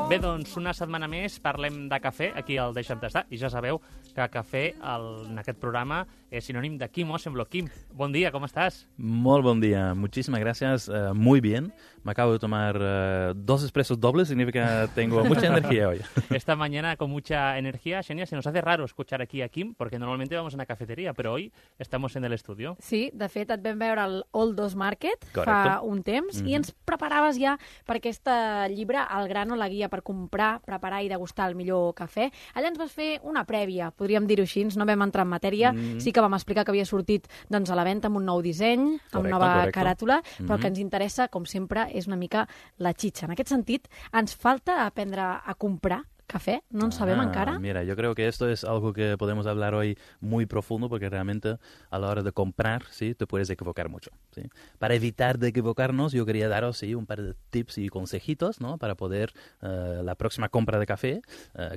Bé, doncs, una setmana més parlem de cafè aquí al Deixa'm Tastar, i ja sabeu que cafè en aquest programa és sinònim de Quim Osenblo. Quim, bon dia, ¿cómo estás? Muy buen día, muchísimas gracias, muy bien. Me acabo de tomar 2 expresos dobles, significa que tengo mucha energía hoy. Esta mañana con mucha energía, Xenia, se nos hace raro escuchar aquí a Quim, porque normalmente vamos a una cafetería, pero hoy estamos en el estudio. Sí, de fet, et vam veure al Oldos Market Correcto. fa un temps i ens preparaves ja per aquest llibre, El grano, la guia per comprar, preparar i degustar el millor cafè. Allà ens vas fer una prèvia, podríem dir-ho així, no vam entrar en matèria, sí que vam explicar que havia sortit a la venda amb un nou disseny, amb nova caràtula, però el que ens interessa, com sempre, és una mica la xitxa. En aquest sentit, ens falta aprendre a comprar café, no en sabem encara. Mira, yo creo que esto es algo que podemos hablar hoy muy profundo, porque realmente a la hora de comprar, sí, te puedes equivocar mucho, ¿sí? Para evitar de equivocarnos, yo quería daros un par de tips y consejitos, ¿no? Para poder la próxima compra de café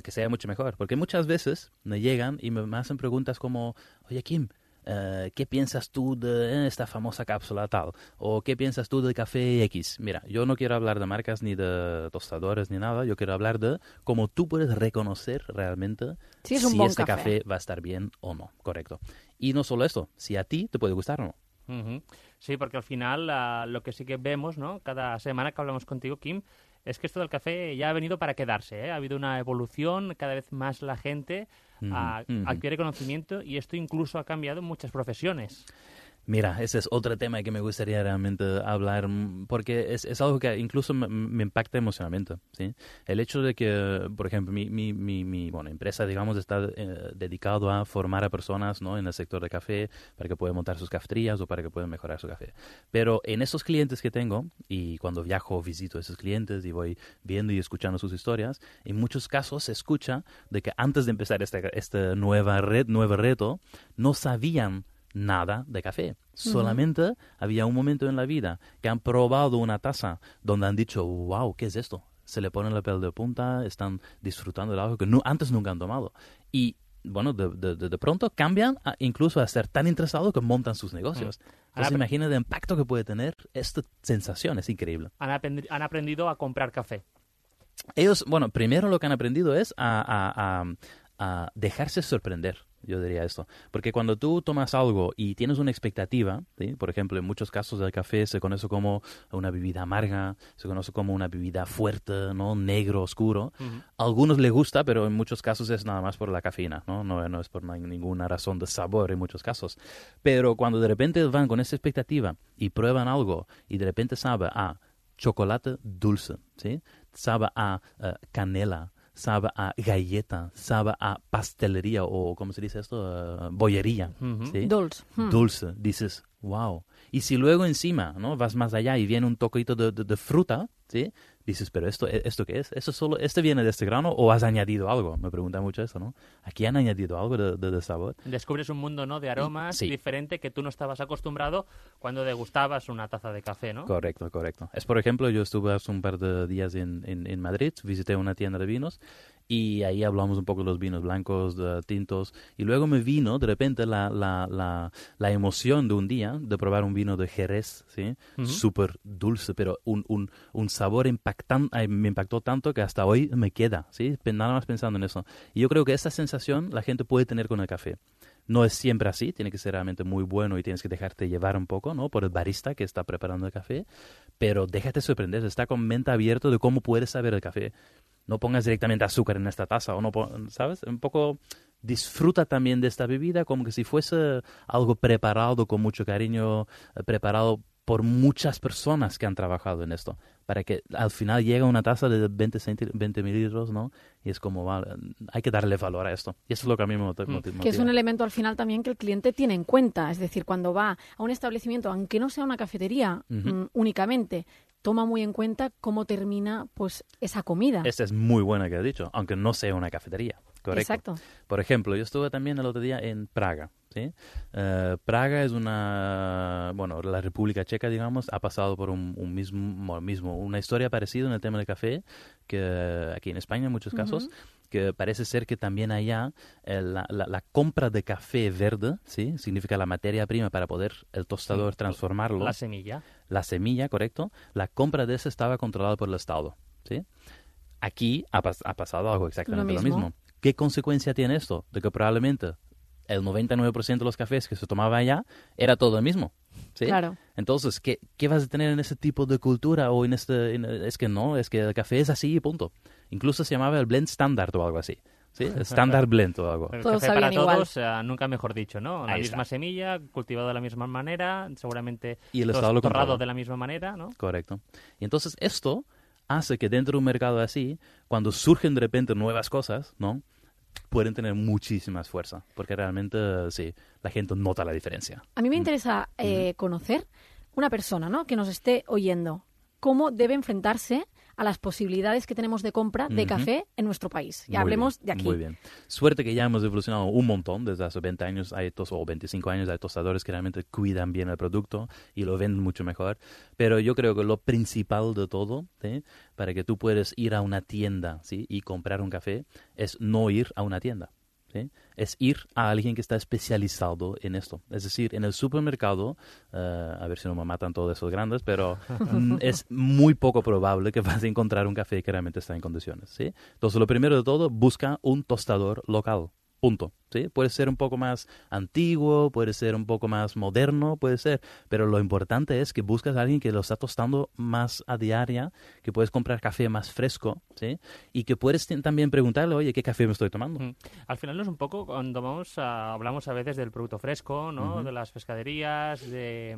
que sea mucho mejor, porque muchas veces me llegan y me hacen preguntas como, oye, Kim, ¿qué piensas tú de esta famosa cápsula tal? ¿O qué piensas tú del café X? Mira, yo no quiero hablar de marcas ni de tostadores ni nada, yo quiero hablar de cómo tú puedes reconocer realmente si este café va a estar bien o no, correcto. Y no solo esto, si a ti te puede gustar o no. Sí, porque al final lo que sí que vemos, ¿no? Cada semana que hablamos contigo, Kim, es que esto del café ya ha venido para quedarse, ¿eh? Ha habido una evolución, cada vez más la gente adquiere conocimiento y esto incluso ha cambiado muchas profesiones. Mira, ese es otro tema que me gustaría realmente hablar, porque es algo que incluso me impacta emocionalmente, ¿sí? El hecho de que, por ejemplo, mi empresa, digamos, está dedicado a formar a personas, ¿no?, en el sector de café para que puedan montar sus cafeterías o para que puedan mejorar su café. Pero en esos clientes que tengo, y cuando viajo visito a esos clientes y voy viendo y escuchando sus historias, en muchos casos se escucha de que antes de empezar este nuevo reto, no sabían nada de café. Solamente había un momento en la vida que han probado una taza donde han dicho, wow, ¿qué es esto? Se le pone la piel de punta, están disfrutando de algo que antes nunca han tomado. Y bueno, de pronto cambian incluso a ser tan interesados que montan sus negocios. Entonces imagina el impacto que puede tener esta sensación, es increíble. Han aprendido a comprar café. Ellos, bueno, primero lo que han aprendido es a dejarse sorprender. Yo diría esto, porque cuando tú tomas algo y tienes una expectativa, ¿sí? Por ejemplo, en muchos casos del café se conoce como una bebida amarga, se conoce como una bebida fuerte, ¿no?, negro, oscuro. A algunos les gusta, pero en muchos casos es nada más por la cafeína, no es por ninguna razón de sabor en muchos casos. Pero cuando de repente van con esa expectativa y prueban algo y de repente sabe a chocolate dulce, ¿sí?, sabe a canela, sabe a galleta, sabe a pastelería o, ¿cómo se dice esto? Bollería. ¿Sí? Dulce. Dices, wow. Y si luego encima, ¿no?, vas más allá y viene un toquito de fruta, ¿sí?, dices, pero ¿esto qué es? ¿Este viene de este grano o has añadido algo? Me preguntan mucho eso, ¿no? ¿Aquí han añadido algo de sabor? Descubres un mundo, ¿no?, de aromas diferente que tú no estabas acostumbrado cuando degustabas una taza de café, ¿no? Correcto. Es, por ejemplo, yo estuve hace un par de días en Madrid, visité una tienda de vinos y ahí hablamos un poco de los vinos blancos, de tintos, y luego me vino de repente la emoción de un día de probar un vino de Jerez, ¿sí? Súper dulce, pero un sabor me impactó tanto que hasta hoy me queda, ¿sí? Nada más pensando en eso. Y yo creo que esa sensación la gente puede tener con el café. No es siempre así, tiene que ser realmente muy bueno y tienes que dejarte llevar un poco, ¿no?, por el barista que está preparando el café, pero déjate sorprender, está con mente abierta de cómo puedes saber el café. No pongas directamente azúcar en esta taza, o no, ¿sabes? Un poco disfruta también de esta bebida como que si fuese algo preparado con mucho cariño, preparado por muchas personas que han trabajado en esto, para que al final llegue una taza de 20 mililitros, ¿no? Y es como, vale, hay que darle valor a esto. Y eso es lo que a mí me motiva. Que es un elemento al final también que el cliente tiene en cuenta. Es decir, cuando va a un establecimiento, aunque no sea una cafetería únicamente, toma muy en cuenta cómo termina pues esa comida. Esta es muy buena que has dicho, aunque no sea una cafetería. Correcto. Exacto. Por ejemplo, yo estuve también el otro día en Praga, ¿sí? Praga es la República Checa, digamos, ha pasado por una historia parecida en el tema del café, que aquí en España en muchos casos, que parece ser que también allá la compra de café verde, ¿sí?, significa la materia prima para poder el tostador transformarlo. La semilla. La semilla, correcto. La compra de esa estaba controlada por el Estado, ¿sí? Aquí ha pasado algo exactamente lo mismo. ¿Qué consecuencia tiene esto? De que probablemente el 99% de los cafés que se tomaba allá era todo el mismo, ¿sí? Claro. Entonces, ¿qué vas a tener en ese tipo de cultura o es que el café es así y punto. Incluso se llamaba el blend standard o algo así, ¿sí? Standard blend o algo. El café para todos, nunca mejor dicho, ¿no? La misma semilla, cultivado de la misma manera, seguramente torrado de la misma manera, ¿no? Correcto. Y entonces esto hace que dentro de un mercado así, cuando surgen de repente nuevas cosas, ¿no?, pueden tener muchísima fuerza, porque realmente, sí, la gente nota la diferencia. A mí me interesa conocer una persona, ¿no?, que nos esté oyendo, cómo debe enfrentarse a las posibilidades que tenemos de compra de café en nuestro país. Ya hablemos de aquí. Muy bien. Suerte que ya hemos evolucionado un montón. Desde hace 20 años o 25 años hay tostadores que realmente cuidan bien el producto y lo venden mucho mejor. Pero yo creo que lo principal de todo, ¿sí?, para que tú puedas ir a una tienda, ¿sí?, y comprar un café, es no ir a una tienda, ¿sí? Es ir a alguien que está especializado en esto. Es decir, en el supermercado, a ver si no me matan todos esos grandes, pero es muy poco probable que vas a encontrar un café que realmente está en condiciones, ¿sí? Entonces, lo primero de todo, busca un tostador local, Punto. ¿Sí? Puede ser un poco más antiguo, puede ser un poco más moderno, puede ser, pero lo importante es que buscas a alguien que lo está tostando más a diaria, que puedes comprar café más fresco, ¿sí? Y que puedes también preguntarle, oye, ¿qué café me estoy tomando? Al final no es un poco cuando hablamos a veces del producto fresco, ¿no? De las pescaderías, de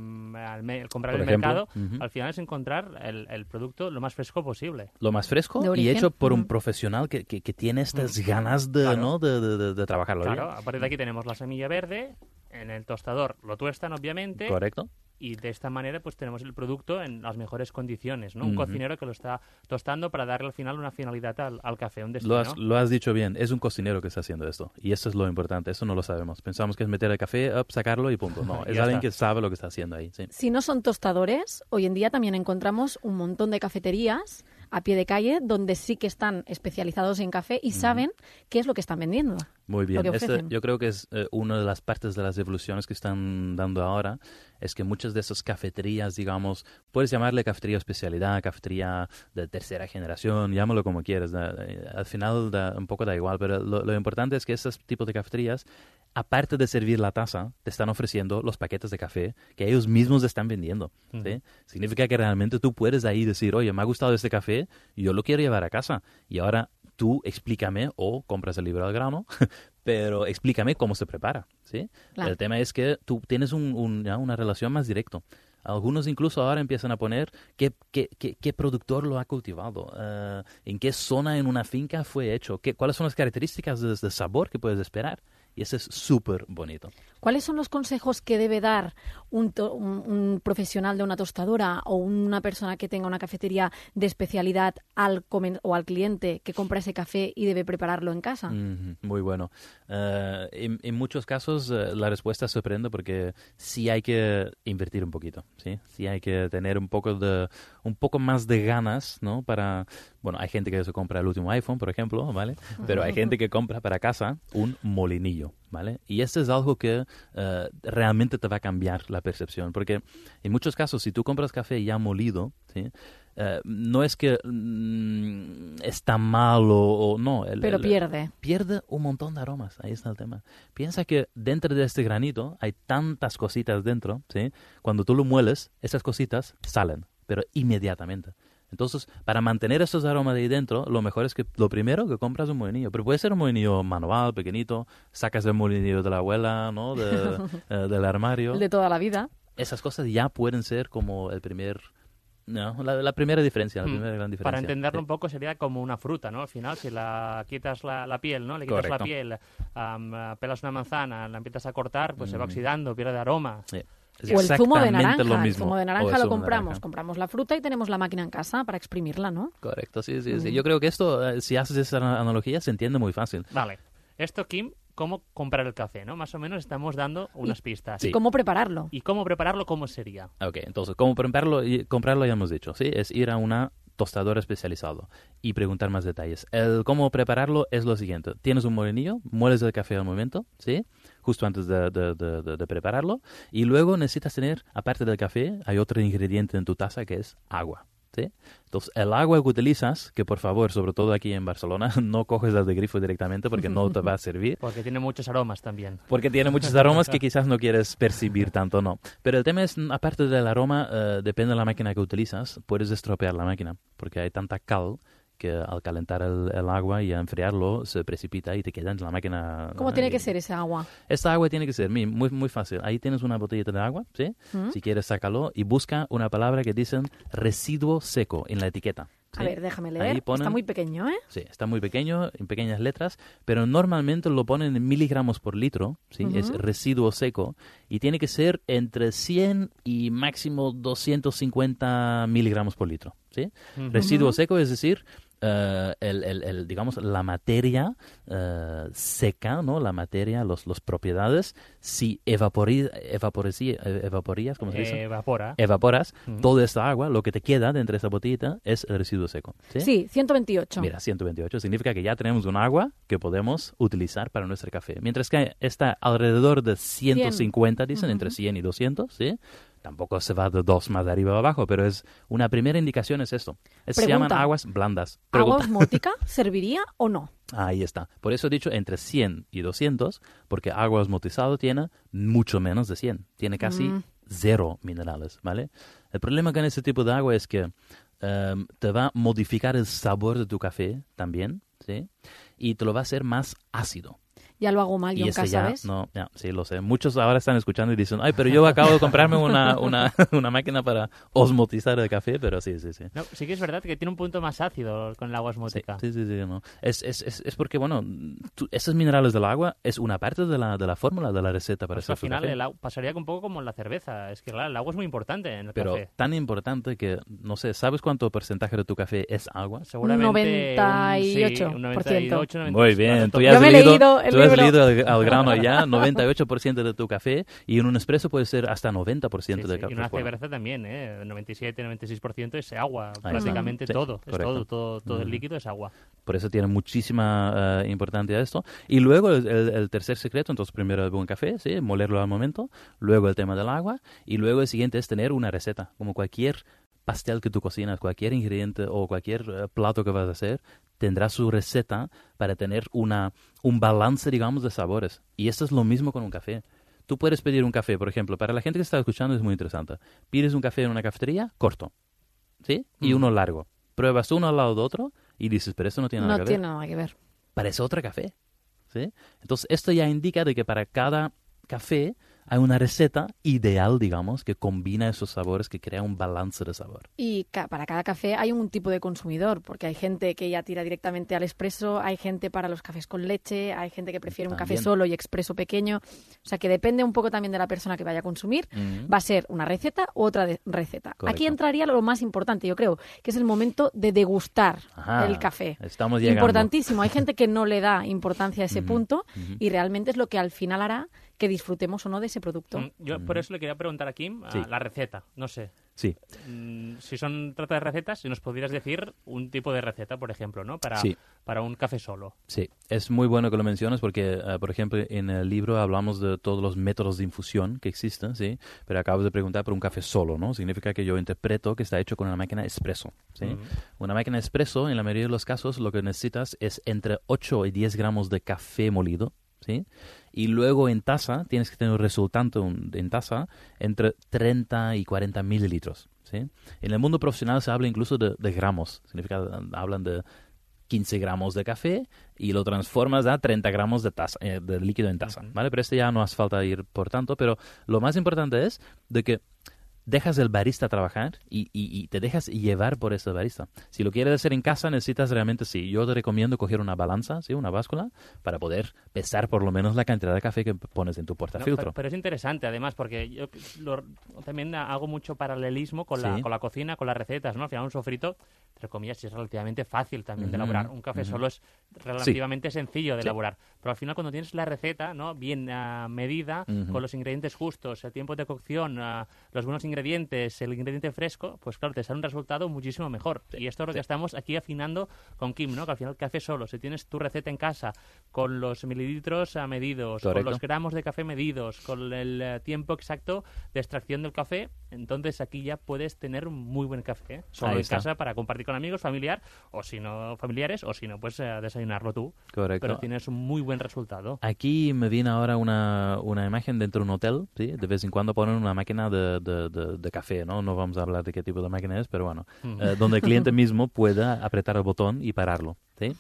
comprar Por el ejemplo, mercado. Al final es encontrar el producto lo más fresco posible. Lo más fresco y hecho por un profesional que tiene estas ganas de, Claro. ¿no? de trabajarlo bien. Claro, a partir de aquí tenemos la semilla verde, en el tostador lo tuestan, obviamente. Correcto. Y de esta manera pues tenemos el producto en las mejores condiciones, ¿no? Un Ujú. cocinero que lo está tostando para darle al final una finalidad al café, un destino. Lo has dicho bien, es un cocinero que está haciendo esto. Y eso es lo importante, eso no lo sabemos. Pensamos que es meter el café, sacarlo y punto. No, es Ya alguien está. que sabe lo que está haciendo ahí. Sí. Si no son tostadores, hoy en día también encontramos un montón de cafeterías a pie de calle donde sí que están especializados en café y saben qué es lo que están vendiendo. Muy bien. Lo que ofrecen. Yo creo que es una de las partes de las evoluciones que están dando ahora, es que muchas de esas cafeterías, digamos, puedes llamarle cafetería especialidad, cafetería de tercera generación, llámalo como quieras. Al final un poco da igual, pero lo importante es que esos tipos de cafeterías, aparte de servir la taza, te están ofreciendo los paquetes de café que ellos mismos están vendiendo. ¿sí? Significa que realmente tú puedes ahí decir, oye, me ha gustado este café, yo lo quiero llevar a casa. Y ahora tú explícame, o compras el libro al grano, pero explícame cómo se prepara. ¿sí? Claro. El tema es que tú tienes una relación más directa. Algunos incluso ahora empiezan a poner qué productor lo ha cultivado, en qué zona en una finca fue hecho, cuáles son las características de sabor que puedes esperar. Y eso es súper bonito. ¿Cuáles son los consejos que debe dar un profesional de una tostadora o una persona que tenga una cafetería de especialidad al cliente que compra ese café y debe prepararlo en casa? Muy bueno. En muchos casos la respuesta sorprende porque sí hay que invertir un poquito, ¿sí? Sí hay que tener un poco más de ganas, ¿no? Bueno, hay gente que se compra el último iPhone, por ejemplo, ¿vale? Pero hay gente que compra para casa un molinillo, ¿vale? Y esto es algo que realmente te va a cambiar la percepción, porque en muchos casos, si tú compras café ya molido, ¿sí? No es que está malo o no. Pero pierde. Pierde un montón de aromas, ahí está el tema. Piensa que dentro de este granito hay tantas cositas dentro, ¿sí? Cuando tú lo mueles, esas cositas salen, pero inmediatamente. Entonces, para mantener esos aromas de ahí dentro, lo mejor es que lo primero que compras un molinillo. Pero puede ser un molinillo manual, pequeñito, sacas el molinillo de la abuela, ¿no? Del armario. El de toda la vida. Esas cosas ya pueden ser como el primer... No, la primera diferencia, la primera gran diferencia. Para entenderlo un poco sería como una fruta, ¿no? Al final, si la quitas la piel, ¿no? Le quitas Correcto. la piel, pelas una manzana, la empiezas a cortar, pues se va oxidando, pierde aroma. Sí. O el zumo de naranja. Lo mismo. El zumo de O naranja el lo zumo de compramos. naranja. Compramos la fruta y tenemos la máquina en casa para exprimirla, ¿no? Correcto, sí. Yo creo que esto, si haces esa analogía, se entiende muy fácil. Vale. Esto, Kim, cómo comprar el café, ¿no? Más o menos estamos dando unas pistas. ¿Y cómo prepararlo? ¿Y cómo prepararlo? ¿Cómo sería? Ok, entonces, ¿cómo comprarlo? Ya hemos dicho, ¿sí? Es ir a una tostadora especializado y preguntar más detalles. El cómo prepararlo es lo siguiente. Tienes un molinillo, mueles el café al momento, ¿sí? Justo antes de prepararlo. Y luego necesitas tener, aparte del café, hay otro ingrediente en tu taza que es agua. ¿Sí? Entonces, el agua que utilizas, que por favor, sobre todo aquí en Barcelona, no coges las de grifo directamente porque no te va a servir. Porque tiene muchos aromas también. Porque tiene muchos aromas que quizás no quieres percibir tanto, no. Pero el tema es, aparte del aroma, depende de la máquina que utilizas, puedes estropear la máquina, porque hay tanta cal que al calentar el agua y a enfriarlo se precipita y te queda en la máquina. ¿Cómo tiene que ser esa agua? Esta agua tiene que ser muy, muy fácil. Ahí tienes una botellita de agua, ¿sí? Si quieres, sácalo y busca una palabra que dicen residuo seco en la etiqueta. ¿Sí? A ver, déjame leer. Está muy pequeño, ¿eh? Sí, está muy pequeño, en pequeñas letras, pero normalmente lo ponen en miligramos por litro, ¿sí? Es residuo seco, y tiene que ser entre 100 y máximo 250 miligramos por litro, ¿sí? Residuo seco, es decir, digamos, la materia seca, ¿no? La materia, los propiedades, si evaporías, ¿cómo se dice? Evaporas toda esta agua, lo que te queda dentro de esta botellita es el residuo seco. Sí, 128. Mira, 128 significa que ya tenemos un agua que podemos utilizar para nuestro café. Mientras que está alrededor de 150, dicen, entre 100 y 200, ¿sí? Tampoco se va de 2 más de arriba o abajo, pero es una primera indicación es esto. Se llaman aguas blandas. ¿Agua osmótica serviría o no? Ahí está. Por eso he dicho entre 100 y 200, porque agua osmotizada tiene mucho menos de 100. Tiene casi 0 minerales, ¿vale? El problema con este tipo de agua es que te va a modificar el sabor de tu café también, ¿sí? Y te lo va a hacer más ácido. Ya lo hago mal yo en casa, ¿sabes? No, ya, sí, lo sé. Muchos ahora están escuchando y dicen, ay, pero yo acabo de comprarme una máquina para osmotizar el café, pero sí. No, sí que es verdad que tiene un punto más ácido con el agua osmótica. Sí, no. Es porque, bueno, esos minerales del agua es una parte de la fórmula de la receta para hacer al final café. Pasaría un poco como en la cerveza. Es que, claro, el agua es muy importante en el pero café. Tan importante que, no sé, ¿sabes cuánto porcentaje de tu café es agua? Seguramente 98%. Un 98, 97%. Muy bien, tú ya has leído al grano ya, 98% de tu café, y en un espresso puede ser hasta 90% del café. Y una cerveza también, 97, 96% es agua, prácticamente todo. Correcto. Es todo el líquido es agua. Por eso tiene muchísima importancia esto. Y luego el tercer secreto, entonces primero el buen café, ¿sí? Molerlo al momento, luego el tema del agua, y luego el siguiente es tener una receta, como cualquier pastel que tú cocinas, cualquier ingrediente o cualquier plato que vas a hacer, tendrá su receta para tener un balance, digamos, de sabores. Y esto es lo mismo con un café. Tú puedes pedir un café, por ejemplo, para la gente que está escuchando es muy interesante. Pides un café en una cafetería, corto, ¿sí? Y uno largo. Pruebas uno al lado de otro y dices, pero esto no tiene nada que ver. No tiene nada que ver. Parece otro café, ¿sí? Entonces, esto ya indica de que para cada café hay una receta ideal, digamos, que combina esos sabores, que crea un balance de sabor. Y para cada café hay un tipo de consumidor, porque hay gente que ya tira directamente al expreso, hay gente para los cafés con leche, hay gente que prefiere un café solo y expreso pequeño. O sea, que depende un poco también de la persona que vaya a consumir. Va a ser una receta u otra receta. Correcto. Aquí entraría lo más importante, yo creo, que es el momento de degustar el café. Estamos llegando. Importantísimo. Hay gente que no le da importancia a ese punto y realmente es lo que al final hará que disfrutemos o no de ese producto. Yo por eso le quería preguntar a Kim la receta, no sé. Sí. Si trata de recetas, si nos pudieras decir un tipo de receta, por ejemplo, ¿no? Para un café solo. Sí, es muy bueno que lo menciones porque, por ejemplo, en el libro hablamos de todos los métodos de infusión que existen, ¿sí? Pero acabas de preguntar por un café solo, ¿no? Significa que yo interpreto que está hecho con una máquina espresso, ¿sí? Una máquina espresso, en la mayoría de los casos, lo que necesitas es entre 8 y 10 gramos de café molido, ¿sí? Y luego en taza, tienes que tener un resultante en taza entre 30 y 40 mililitros, ¿sí? En el mundo profesional se habla incluso de gramos. Significa, hablan de 15 gramos de café y lo transformas a 30 gramos de líquido en taza, ¿vale? Pero ya no hace falta ir por tanto, pero lo más importante es de que dejas el barista trabajar y te dejas llevar por ese barista. Si lo quieres hacer en casa, necesitas realmente, yo te recomiendo coger una balanza, ¿sí? Una báscula, para poder pesar por lo menos la cantidad de café que pones en tu portafiltro. Pero es interesante, además, porque yo también hago mucho paralelismo con la cocina, con las recetas, ¿no? Al final un sofrito, entre comillas, es relativamente fácil también de elaborar. Un café solo es relativamente sencillo de elaborar. Pero al final, cuando tienes la receta, ¿no? Bien medida, con los ingredientes justos, el tiempo de cocción, los buenos ingredientes, el ingrediente fresco, pues claro, te sale un resultado muchísimo mejor. Y esto es lo que estamos aquí afinando con Kim, ¿no? Que al final el café solo, si tienes tu receta en casa, con los mililitros medidos, con los gramos de café medidos, con el tiempo exacto de extracción del café, entonces aquí ya puedes tener un muy buen café, solo en casa para compartir con amigos, familiares, o si no, pues desayunarlo tú. Correcto. Pero tienes un muy buen resultado. Aquí me viene ahora una imagen dentro de un hotel, ¿sí? De vez en cuando ponen una máquina de café, ¿no? No vamos a hablar de qué tipo de máquina es, pero bueno, donde el cliente mismo pueda apretar el botón y pararlo, ¿sí?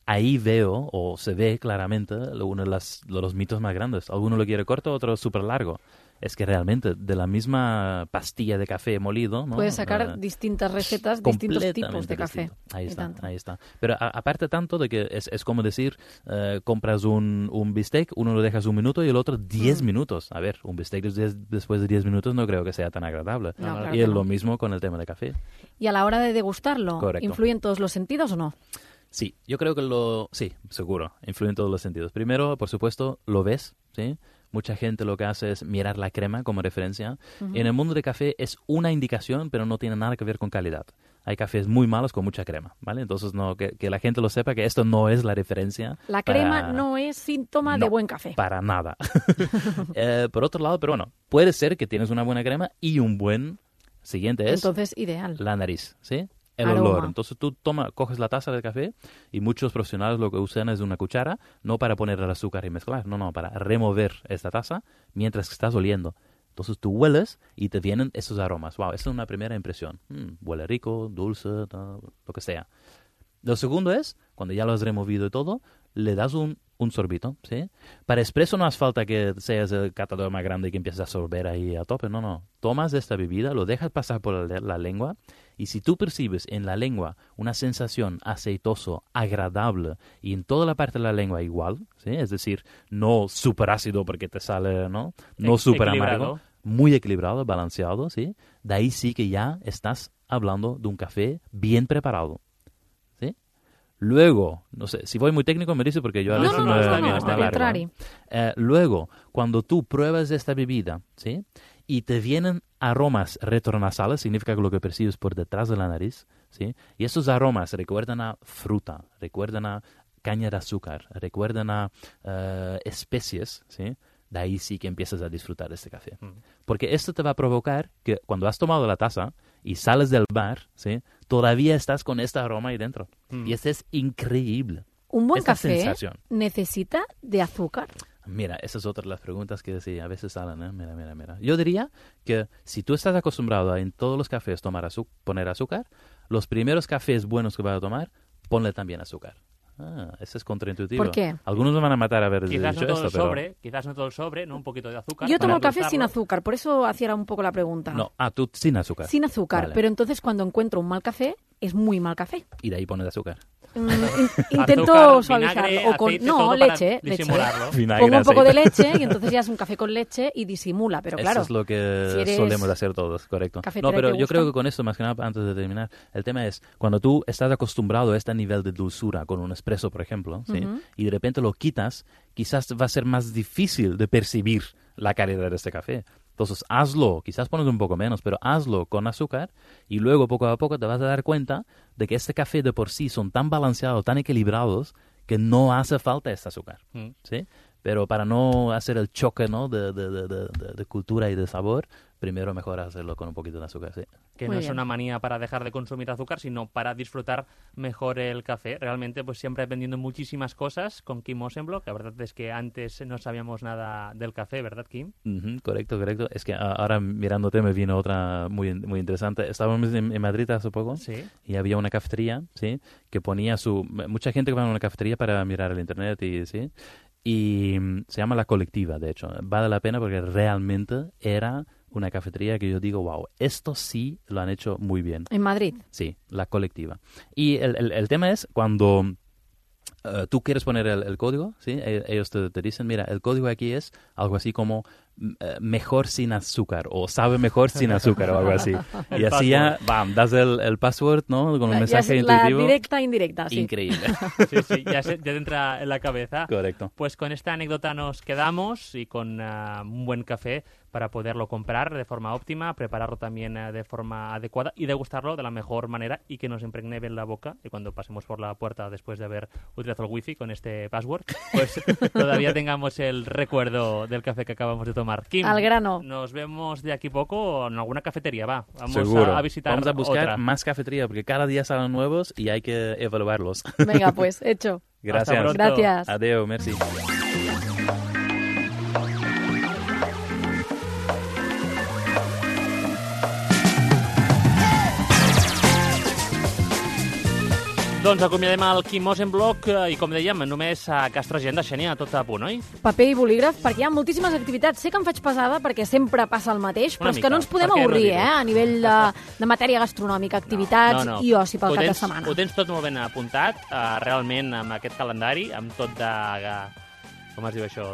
Ahí veo, o se ve claramente, uno de los mitos más grandes. Alguno lo quiere corto, otro súper largo. Es que realmente de la misma pastilla de café molido, ¿no? Puedes sacar distintas recetas, distintos tipos de café. Ahí está. Pero aparte tanto de que es como decir, compras un bistec, uno lo dejas 1 minuto y el otro 10 minutos. A ver, un bistec después de 10 minutos no creo que sea tan agradable. No, claro y es lo mismo con el tema de café. ¿Y a la hora de degustarlo, Correcto. influyen todos los sentidos o no? Sí, yo creo que sí, seguro, influyen todos los sentidos. Primero, por supuesto, lo ves, ¿sí? Mucha gente lo que hace es mirar la crema como referencia. En el mundo del café es una indicación, pero no tiene nada que ver con calidad. hay cafés muy malos con mucha crema, ¿vale? Entonces, que la gente lo sepa que esto no es la referencia. La crema no es síntoma de buen café. Para nada. Por otro lado, pero bueno, puede ser que tienes una buena crema y un buen siguiente es... Entonces, ideal. La nariz, ¿sí? El Aroma. olor. Entonces tú coges la taza de café y muchos profesionales lo que usan es una cuchara, no para poner el azúcar y mezclar, no, para remover esta taza mientras que estás oliendo. Entonces tú hueles y te vienen esos aromas. Wow, esa es una primera impresión. Huele rico, dulce, lo que sea. Lo segundo es, cuando ya lo has removido y todo, le das un sorbito, ¿sí? Para espresso no hace falta que seas el catador más grande y que empieces a sorber ahí a tope, no. Tomas esta bebida, lo dejas pasar por la lengua y si tú percibes en la lengua una sensación aceitoso, agradable y en toda la parte de la lengua igual, ¿sí? Es decir, no súper ácido porque te sale, no súper amargo, muy equilibrado, balanceado, ¿sí? De ahí sí que ya estás hablando de un café bien preparado. Luego, no sé, si voy muy técnico me dice porque yo a veces está contrario. Luego, cuando tú pruebas esta bebida, ¿sí? Y te vienen aromas retronasales, significa que lo que percibes por detrás de la nariz, ¿sí? Y esos aromas recuerdan a fruta, recuerdan a caña de azúcar, recuerdan a especies, ¿sí? De ahí sí que empiezas a disfrutar de este café. Porque esto te va a provocar que cuando has tomado la taza y sales del bar, ¿sí? Todavía estás con este aroma ahí dentro. Y este es increíble. ¿Un buen Esta café sensación. necesita de azúcar? Mira, esa es otra de las preguntas que sí, a veces salen, ¿eh? Mira. Yo diría que si tú estás acostumbrado a en todos los cafés poner azúcar, los primeros cafés buenos que vas a tomar, ponle también azúcar. Eso es contraintuitivo. ¿Por qué? Algunos me van a matar a ver quizás dicho no todo esto, quizás no todo el sobre, ¿no? Un poquito de azúcar. Yo tomo el café sin azúcar, por eso hacía un poco la pregunta. No, tú sin azúcar. Sin azúcar, Vale. pero entonces cuando encuentro un mal café, es muy mal café. Y de ahí pones azúcar. Intento Azúcar, suavizarlo. vinagre, O con, aceite, no, todo para leche. disimularlo. Vinagre, Pongo un poco de aceite. leche y entonces ya es un café con leche y disimula, pero claro. Eso es lo que si eres solemos hacer todos, correcto. cafetera No, pero y te yo gusta. creo que con esto, más que nada, antes de terminar, el tema es, cuando tú estás acostumbrado a este nivel de dulzura con un espresso, por ejemplo, ¿sí? Y de repente lo quitas, quizás va a ser más difícil de percibir la calidad de este café. Entonces, hazlo, quizás pones un poco menos, pero hazlo con azúcar y luego poco a poco te vas a dar cuenta de que este café de por sí son tan balanceados, tan equilibrados, que no hace falta este azúcar, ¿sí? Pero para no hacer el choque, ¿no? de cultura y de sabor, primero mejor hacerlo con un poquito de azúcar, sí. Que no es una manía para dejar de consumir azúcar, sino para disfrutar mejor el café. Realmente, pues siempre aprendiendo muchísimas cosas con Kim Osenblock. La verdad es que antes no sabíamos nada del café, ¿verdad, Kim? Correcto. Es que ahora mirándote me vino otra muy interesante. Estábamos en Madrid hace poco y había una cafetería, ¿sí? Que ponía mucha gente que va a una cafetería para mirar el internet y sí. Y se llama La Colectiva, de hecho. Vale la pena porque realmente era una cafetería que yo digo, wow, esto sí lo han hecho muy bien. ¿En Madrid? Sí, La Colectiva. Y el tema es cuando tú quieres poner el código, ¿sí? Ellos te dicen, mira, el código aquí es algo así como mejor sin azúcar o sabe mejor sin azúcar o algo así. Y así ya, das el password, ¿no? Con un mensaje intuitivo. La directa, indirecta, sí. Increíble. Sí, ya te entra en la cabeza. Correcto. Pues con esta anécdota nos quedamos y con un buen café para poderlo comprar de forma óptima, prepararlo también de forma adecuada y degustarlo de la mejor manera y que nos impregne bien la boca. Y cuando pasemos por la puerta después de haber utilizado el wifi con este password, pues todavía tengamos el recuerdo del café que acabamos de tomar. Kim, al grano. Nos vemos de aquí poco en alguna cafetería, va. Vamos Seguro. a visitar Vamos a buscar otra. más cafetería porque cada día salen nuevos y hay que evaluarlos. Venga, pues, hecho. Gracias. Gracias. Adeu, merci. Doncs acomiadem el Kim Osenblock i, com dèiem, només a Castro Agenda, Xènia, tot a punt, oi? Paper i bolígraf, perquè hi ha moltíssimes activitats. Sé que em faig pesada perquè sempre passa el mateix, però és que no ens podem avorrir, a nivell de matèria gastronòmica, activitats i oci pel cap de setmana. Ho tens tot molt ben apuntat, realment, amb aquest calendari, amb tot de Com es diu això?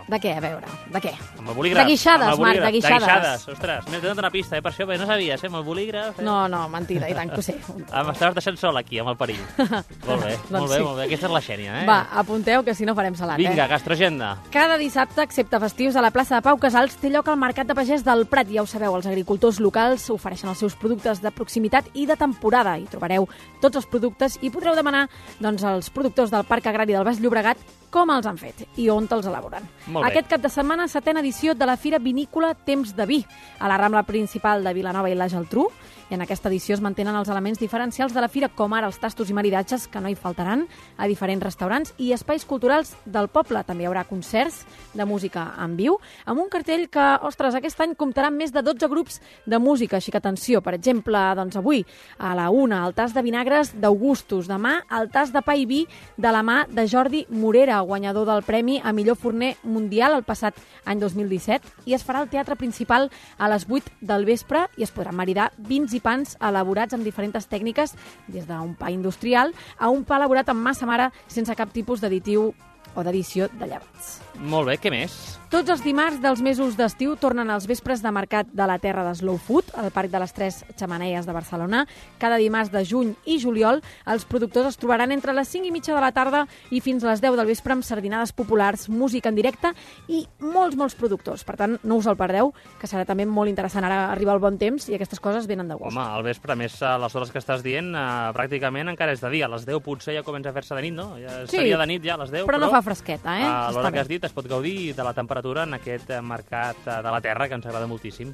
De què, a veure? De què? Amb el bolígraf. De guixades, Marc, de guixades. De guixades, ostres. M'he donat una pista, per això no sabies, amb el bolígraf. No, mentida, i tant que ho sé. M'estaves deixant sol aquí, amb el perill. Molt bé, molt bé. Aquesta és la Xènia, Va, apunteu, que si no farem salat, Vinga, Gastroagenda. Cada dissabte, excepte festius, a la plaça de Pau Casals té lloc el Mercat de Pagès del Prat. Ja ho sabeu, els agricultors locals ofereixen els seus productes de proximitat i de temporada. Hi trobareu tots els productes i podreu demanar als productors del Parc Agrari del Baix Llobregat com els han fet i on te'ls elaboren. Aquest cap de setmana, 7ª edició de la Fira Vinícola Temps de Vi, a la Rambla principal de Vilanova i la Geltrú. I en aquesta edició es mantenen els elements diferencials de la fira, com ara els tastos i maridatges, que no hi faltaran, a diferents restaurants i espais culturals del poble. També hi haurà concerts de música en viu, amb un cartell que, ostres, aquest any comptarà amb més de 12 grups de música, així que atenció, per exemple, avui, a la 1, el tas de vinagres d'Augustus, demà el tas de pa i vi de la mà de Jordi Morera, guanyador del Premi a millor forner mundial el passat any 2017, i es farà al Teatre Principal a les 8 del vespre i es podran maridar vins i pans elaborats amb diferents tècniques, des d'un pa industrial a un pa elaborat amb massa mare sense cap tipus d'additiu o d'addició de llevats. Molt bé, què més? Tots els dimarts dels mesos d'estiu tornen als vespres de mercat de la terra de Slow Food, al Parc de les Tres Xemeneies de Barcelona. Cada dimarts de juny i juliol, els productors es trobaran entre les 5:30 de la tarda i fins a les 10 del vespre amb sardinades populars, música en directe i molts productors. Per tant, no us el perdeu, que serà també molt interessant. Ara arriba el bon temps i aquestes coses venen de gust. Home, al vespre, més a les hores que estàs dient, pràcticament encara és de dia. A les 10 potser ja comença a fer-se de nit, no? Ja seria de nit ja a les 10, però no fa fresqueta, a l'hora que has dit es pot gaudir de la temperatura en aquest mercat de la terra, que ens agrada moltíssim.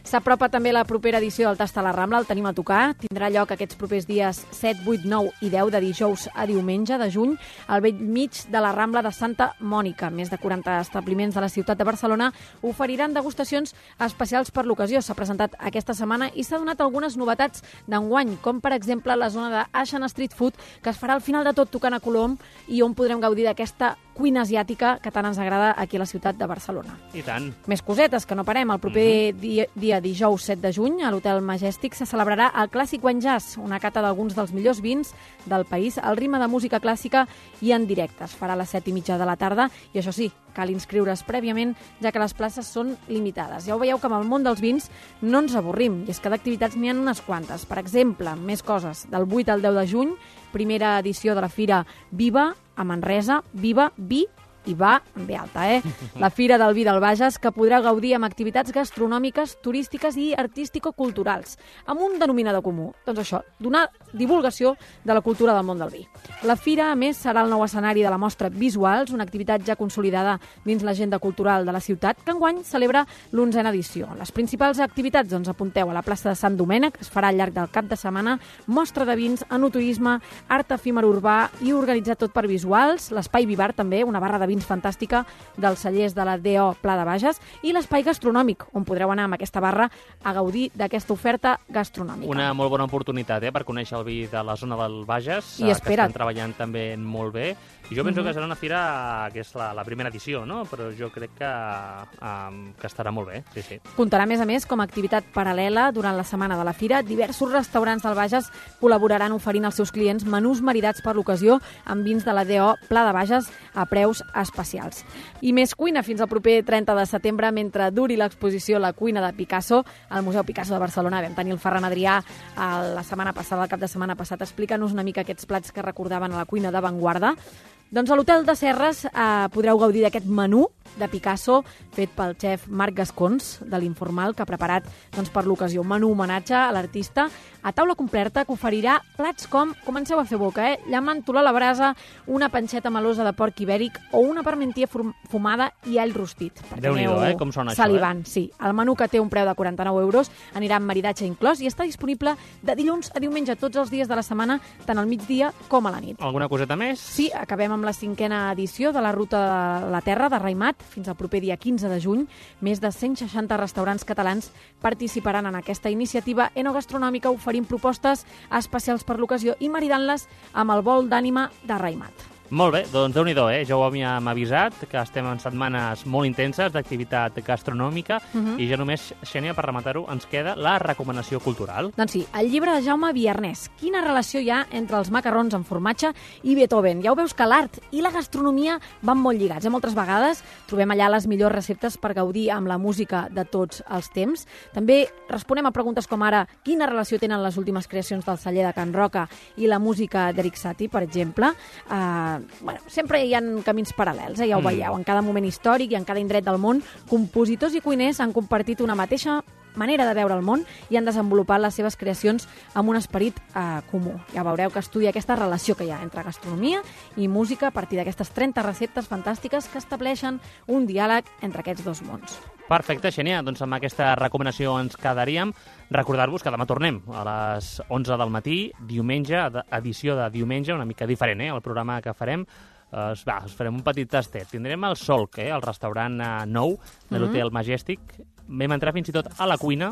S'apropa també la propera edició del Tast a la Rambla, el tenim a tocar. Tindrà lloc aquests propers dies 7, 8, 9 i 10 de dijous a diumenge de juny al vell mig de la Rambla de Santa Mònica. Més de 40 establiments de la ciutat de Barcelona oferiran degustacions especials per l'ocasió. S'ha presentat aquesta setmana i s'ha donat algunes novetats d'enguany, com per exemple la zona de Asian Street Food, que es farà al final de tot tocant a Colom i on podrem gaudir d'aquesta cuina asiàtica que tant ens agrada aquí a la ciutat de Barcelona. I tant. Més cosetes, que no parem. El proper dia dijous 7 de juny, a l'Hotel Majestic, se celebrarà el Clàssic Wine Jazz, una cata d'alguns dels millors vins del país, al ritme de música clàssica i en directe. Es farà a les 7:30 de la tarda i, això sí, cal inscriure's prèviament, ja que les places són limitades. Ja ho veieu que amb el món dels vins no ens avorrim, i és que d'activitats n'hi ha unes quantes. Per exemple, més coses. Del 8 al 10 de juny, primera edició de la Fira Viva, a Manresa, Viva, Vi i va en B alta, La Fira del Vi del Bages, que podrà gaudir amb activitats gastronòmiques, turístiques i artístico-culturals, amb un denominador comú. Doncs això, donar divulgació de la cultura del món del vi. La Fira, a més, serà el nou escenari de la mostra Visuals, una activitat ja consolidada dins l'agenda cultural de la ciutat, que enguany celebra l'11a edició. Les principals activitats, apunteu a la plaça de Sant Domènec, que es farà al llarg del cap de setmana, mostra de vins, enoturisme, art efímer urbà i organitzat tot per Visuals, l'espai Vivar també, una barra de vins fantàstica dels cellers de la DO Pla de Bages, i l'espai gastronòmic, on podreu anar amb aquesta barra a gaudir d'aquesta oferta gastronòmica. Una molt bona oportunitat per conèixer el vi de la zona del Bages, que estan treballant també molt bé. I jo penso que serà una fira que és la primera edició, no? Però jo crec que estarà molt bé, sí. Comptarà, a més, com a activitat paral·lela durant la setmana de la fira. Diversos restaurants del Bages col·laboraran oferint als seus clients menús maridats per l'ocasió amb vins de la DO Pla de Bages a preus especials. I més cuina fins al proper 30 de setembre, mentre duri l'exposició La cuina de Picasso al Museu Picasso de Barcelona. Vam tenir el Ferran Adrià la setmana passada, el cap de setmana passat, explicant-nos una mica aquests plats que recordaven a la cuina d'avantguarda. Doncs a l'Hotel de Serres podreu gaudir d'aquest menú de Picasso fet pel xef Marc Gascons, de l'Informal, que ha preparat per l'ocasió un menú homenatge a l'artista a taula completa, que oferirà plats com, comenceu a fer boca, llamàntula a la brasa, una panxeta melosa de porc ibèric o una parmentia fumada i all rostit. Déu-n'hi-do, com sona això, salivant, sí. El menú, que té un preu de 49 euros, anirà amb maridatge inclòs i està disponible de dilluns a diumenge tots els dies de la setmana, tant al migdia com a la nit. Alguna coseta més? Sí, acabem amb la 5a edició de la Ruta de la Terra de Raimat fins al proper dia 15 de juny. Més de 160 restaurants catalans participaran en aquesta iniciativa enogastronòmica, oferint propostes especials per l'ocasió i maridant-les amb el bol d'ànima de Raimat. Molt bé, doncs déu-n'hi-do, ja ho havíem avisat, que estem en setmanes molt intenses d'activitat gastronòmica i ja només, Xènia, per rematar-ho, ens queda la recomanació cultural. Doncs sí, el llibre de Jaume Viernès. Quina relació hi ha entre els macarrons amb formatge i Beethoven? Ja ho veus que l'art i la gastronomia van molt lligats. Moltes vegades trobem allà les millors receptes per gaudir amb la música de tots els temps. També responem a preguntes com ara quina relació tenen les últimes creacions del celler de Can Roca i la música d'Eric Satie, per exemple. Sempre hi ha camins paral·lels, ja ho veieu. En cada moment històric i en cada indret del món, compositors i cuiners han compartit una mateixa manera de veure el món i han desenvolupat les seves creacions amb un esperit comú. Ja veureu que estudia aquesta relació que hi ha entre gastronomia i música a partir d'aquestes 30 receptes fantàstiques que estableixen un diàleg entre aquests dos mons. Perfecte, Xènia. Doncs amb aquesta recomanació ens quedaríem. Recordar-vos que demà tornem a les 11 del matí, diumenge, edició de diumenge, una mica diferent, el programa que farem. Us farem un petit tastet. Tindrem el Solc, el restaurant nou de l'Hotel Majestic. Vam entrar fins i tot a la cuina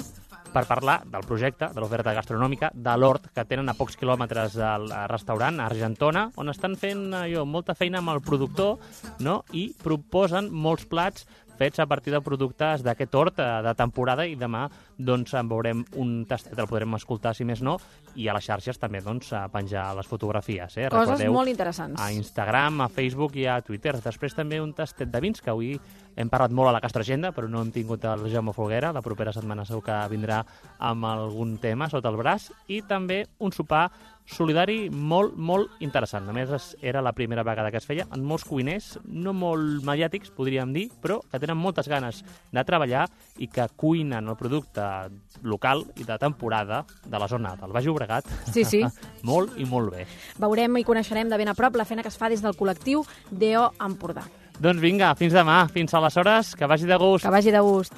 per parlar del projecte, de l'oferta gastronòmica, de l'hort que tenen a pocs quilòmetres del restaurant, a Argentona, on estan fent molta feina amb el productor, no? I proposen molts plats fets a partir de productes d'aquest hort de temporada i demà doncs en veurem un tastet, el podrem escoltar si més no, i a les xarxes també doncs a penjar les fotografies. Coses Recordeu, molt interessants. A Instagram, a Facebook i a Twitter. Després també un tastet de vins, que avui hem parlat molt a la Gastroagenda, però no hem tingut el Jaume Folguera. La propera setmana segur que vindrà amb algun tema sota el braç. I també un sopar solidari molt, molt interessant. A més, era la primera vegada que es feia amb molts cuiners, no molt mediàtics, podríem dir, però que tenen moltes ganes de treballar i que cuinen el producte local i de temporada de la zona del Baix Llobregat Sí. molt i molt bé. Veurem i coneixerem de ben a prop la feina que es fa des del col·lectiu DO Empordà. Doncs vinga, fins demà, fins aleshores, que vagi de gust. Que vagi de gust.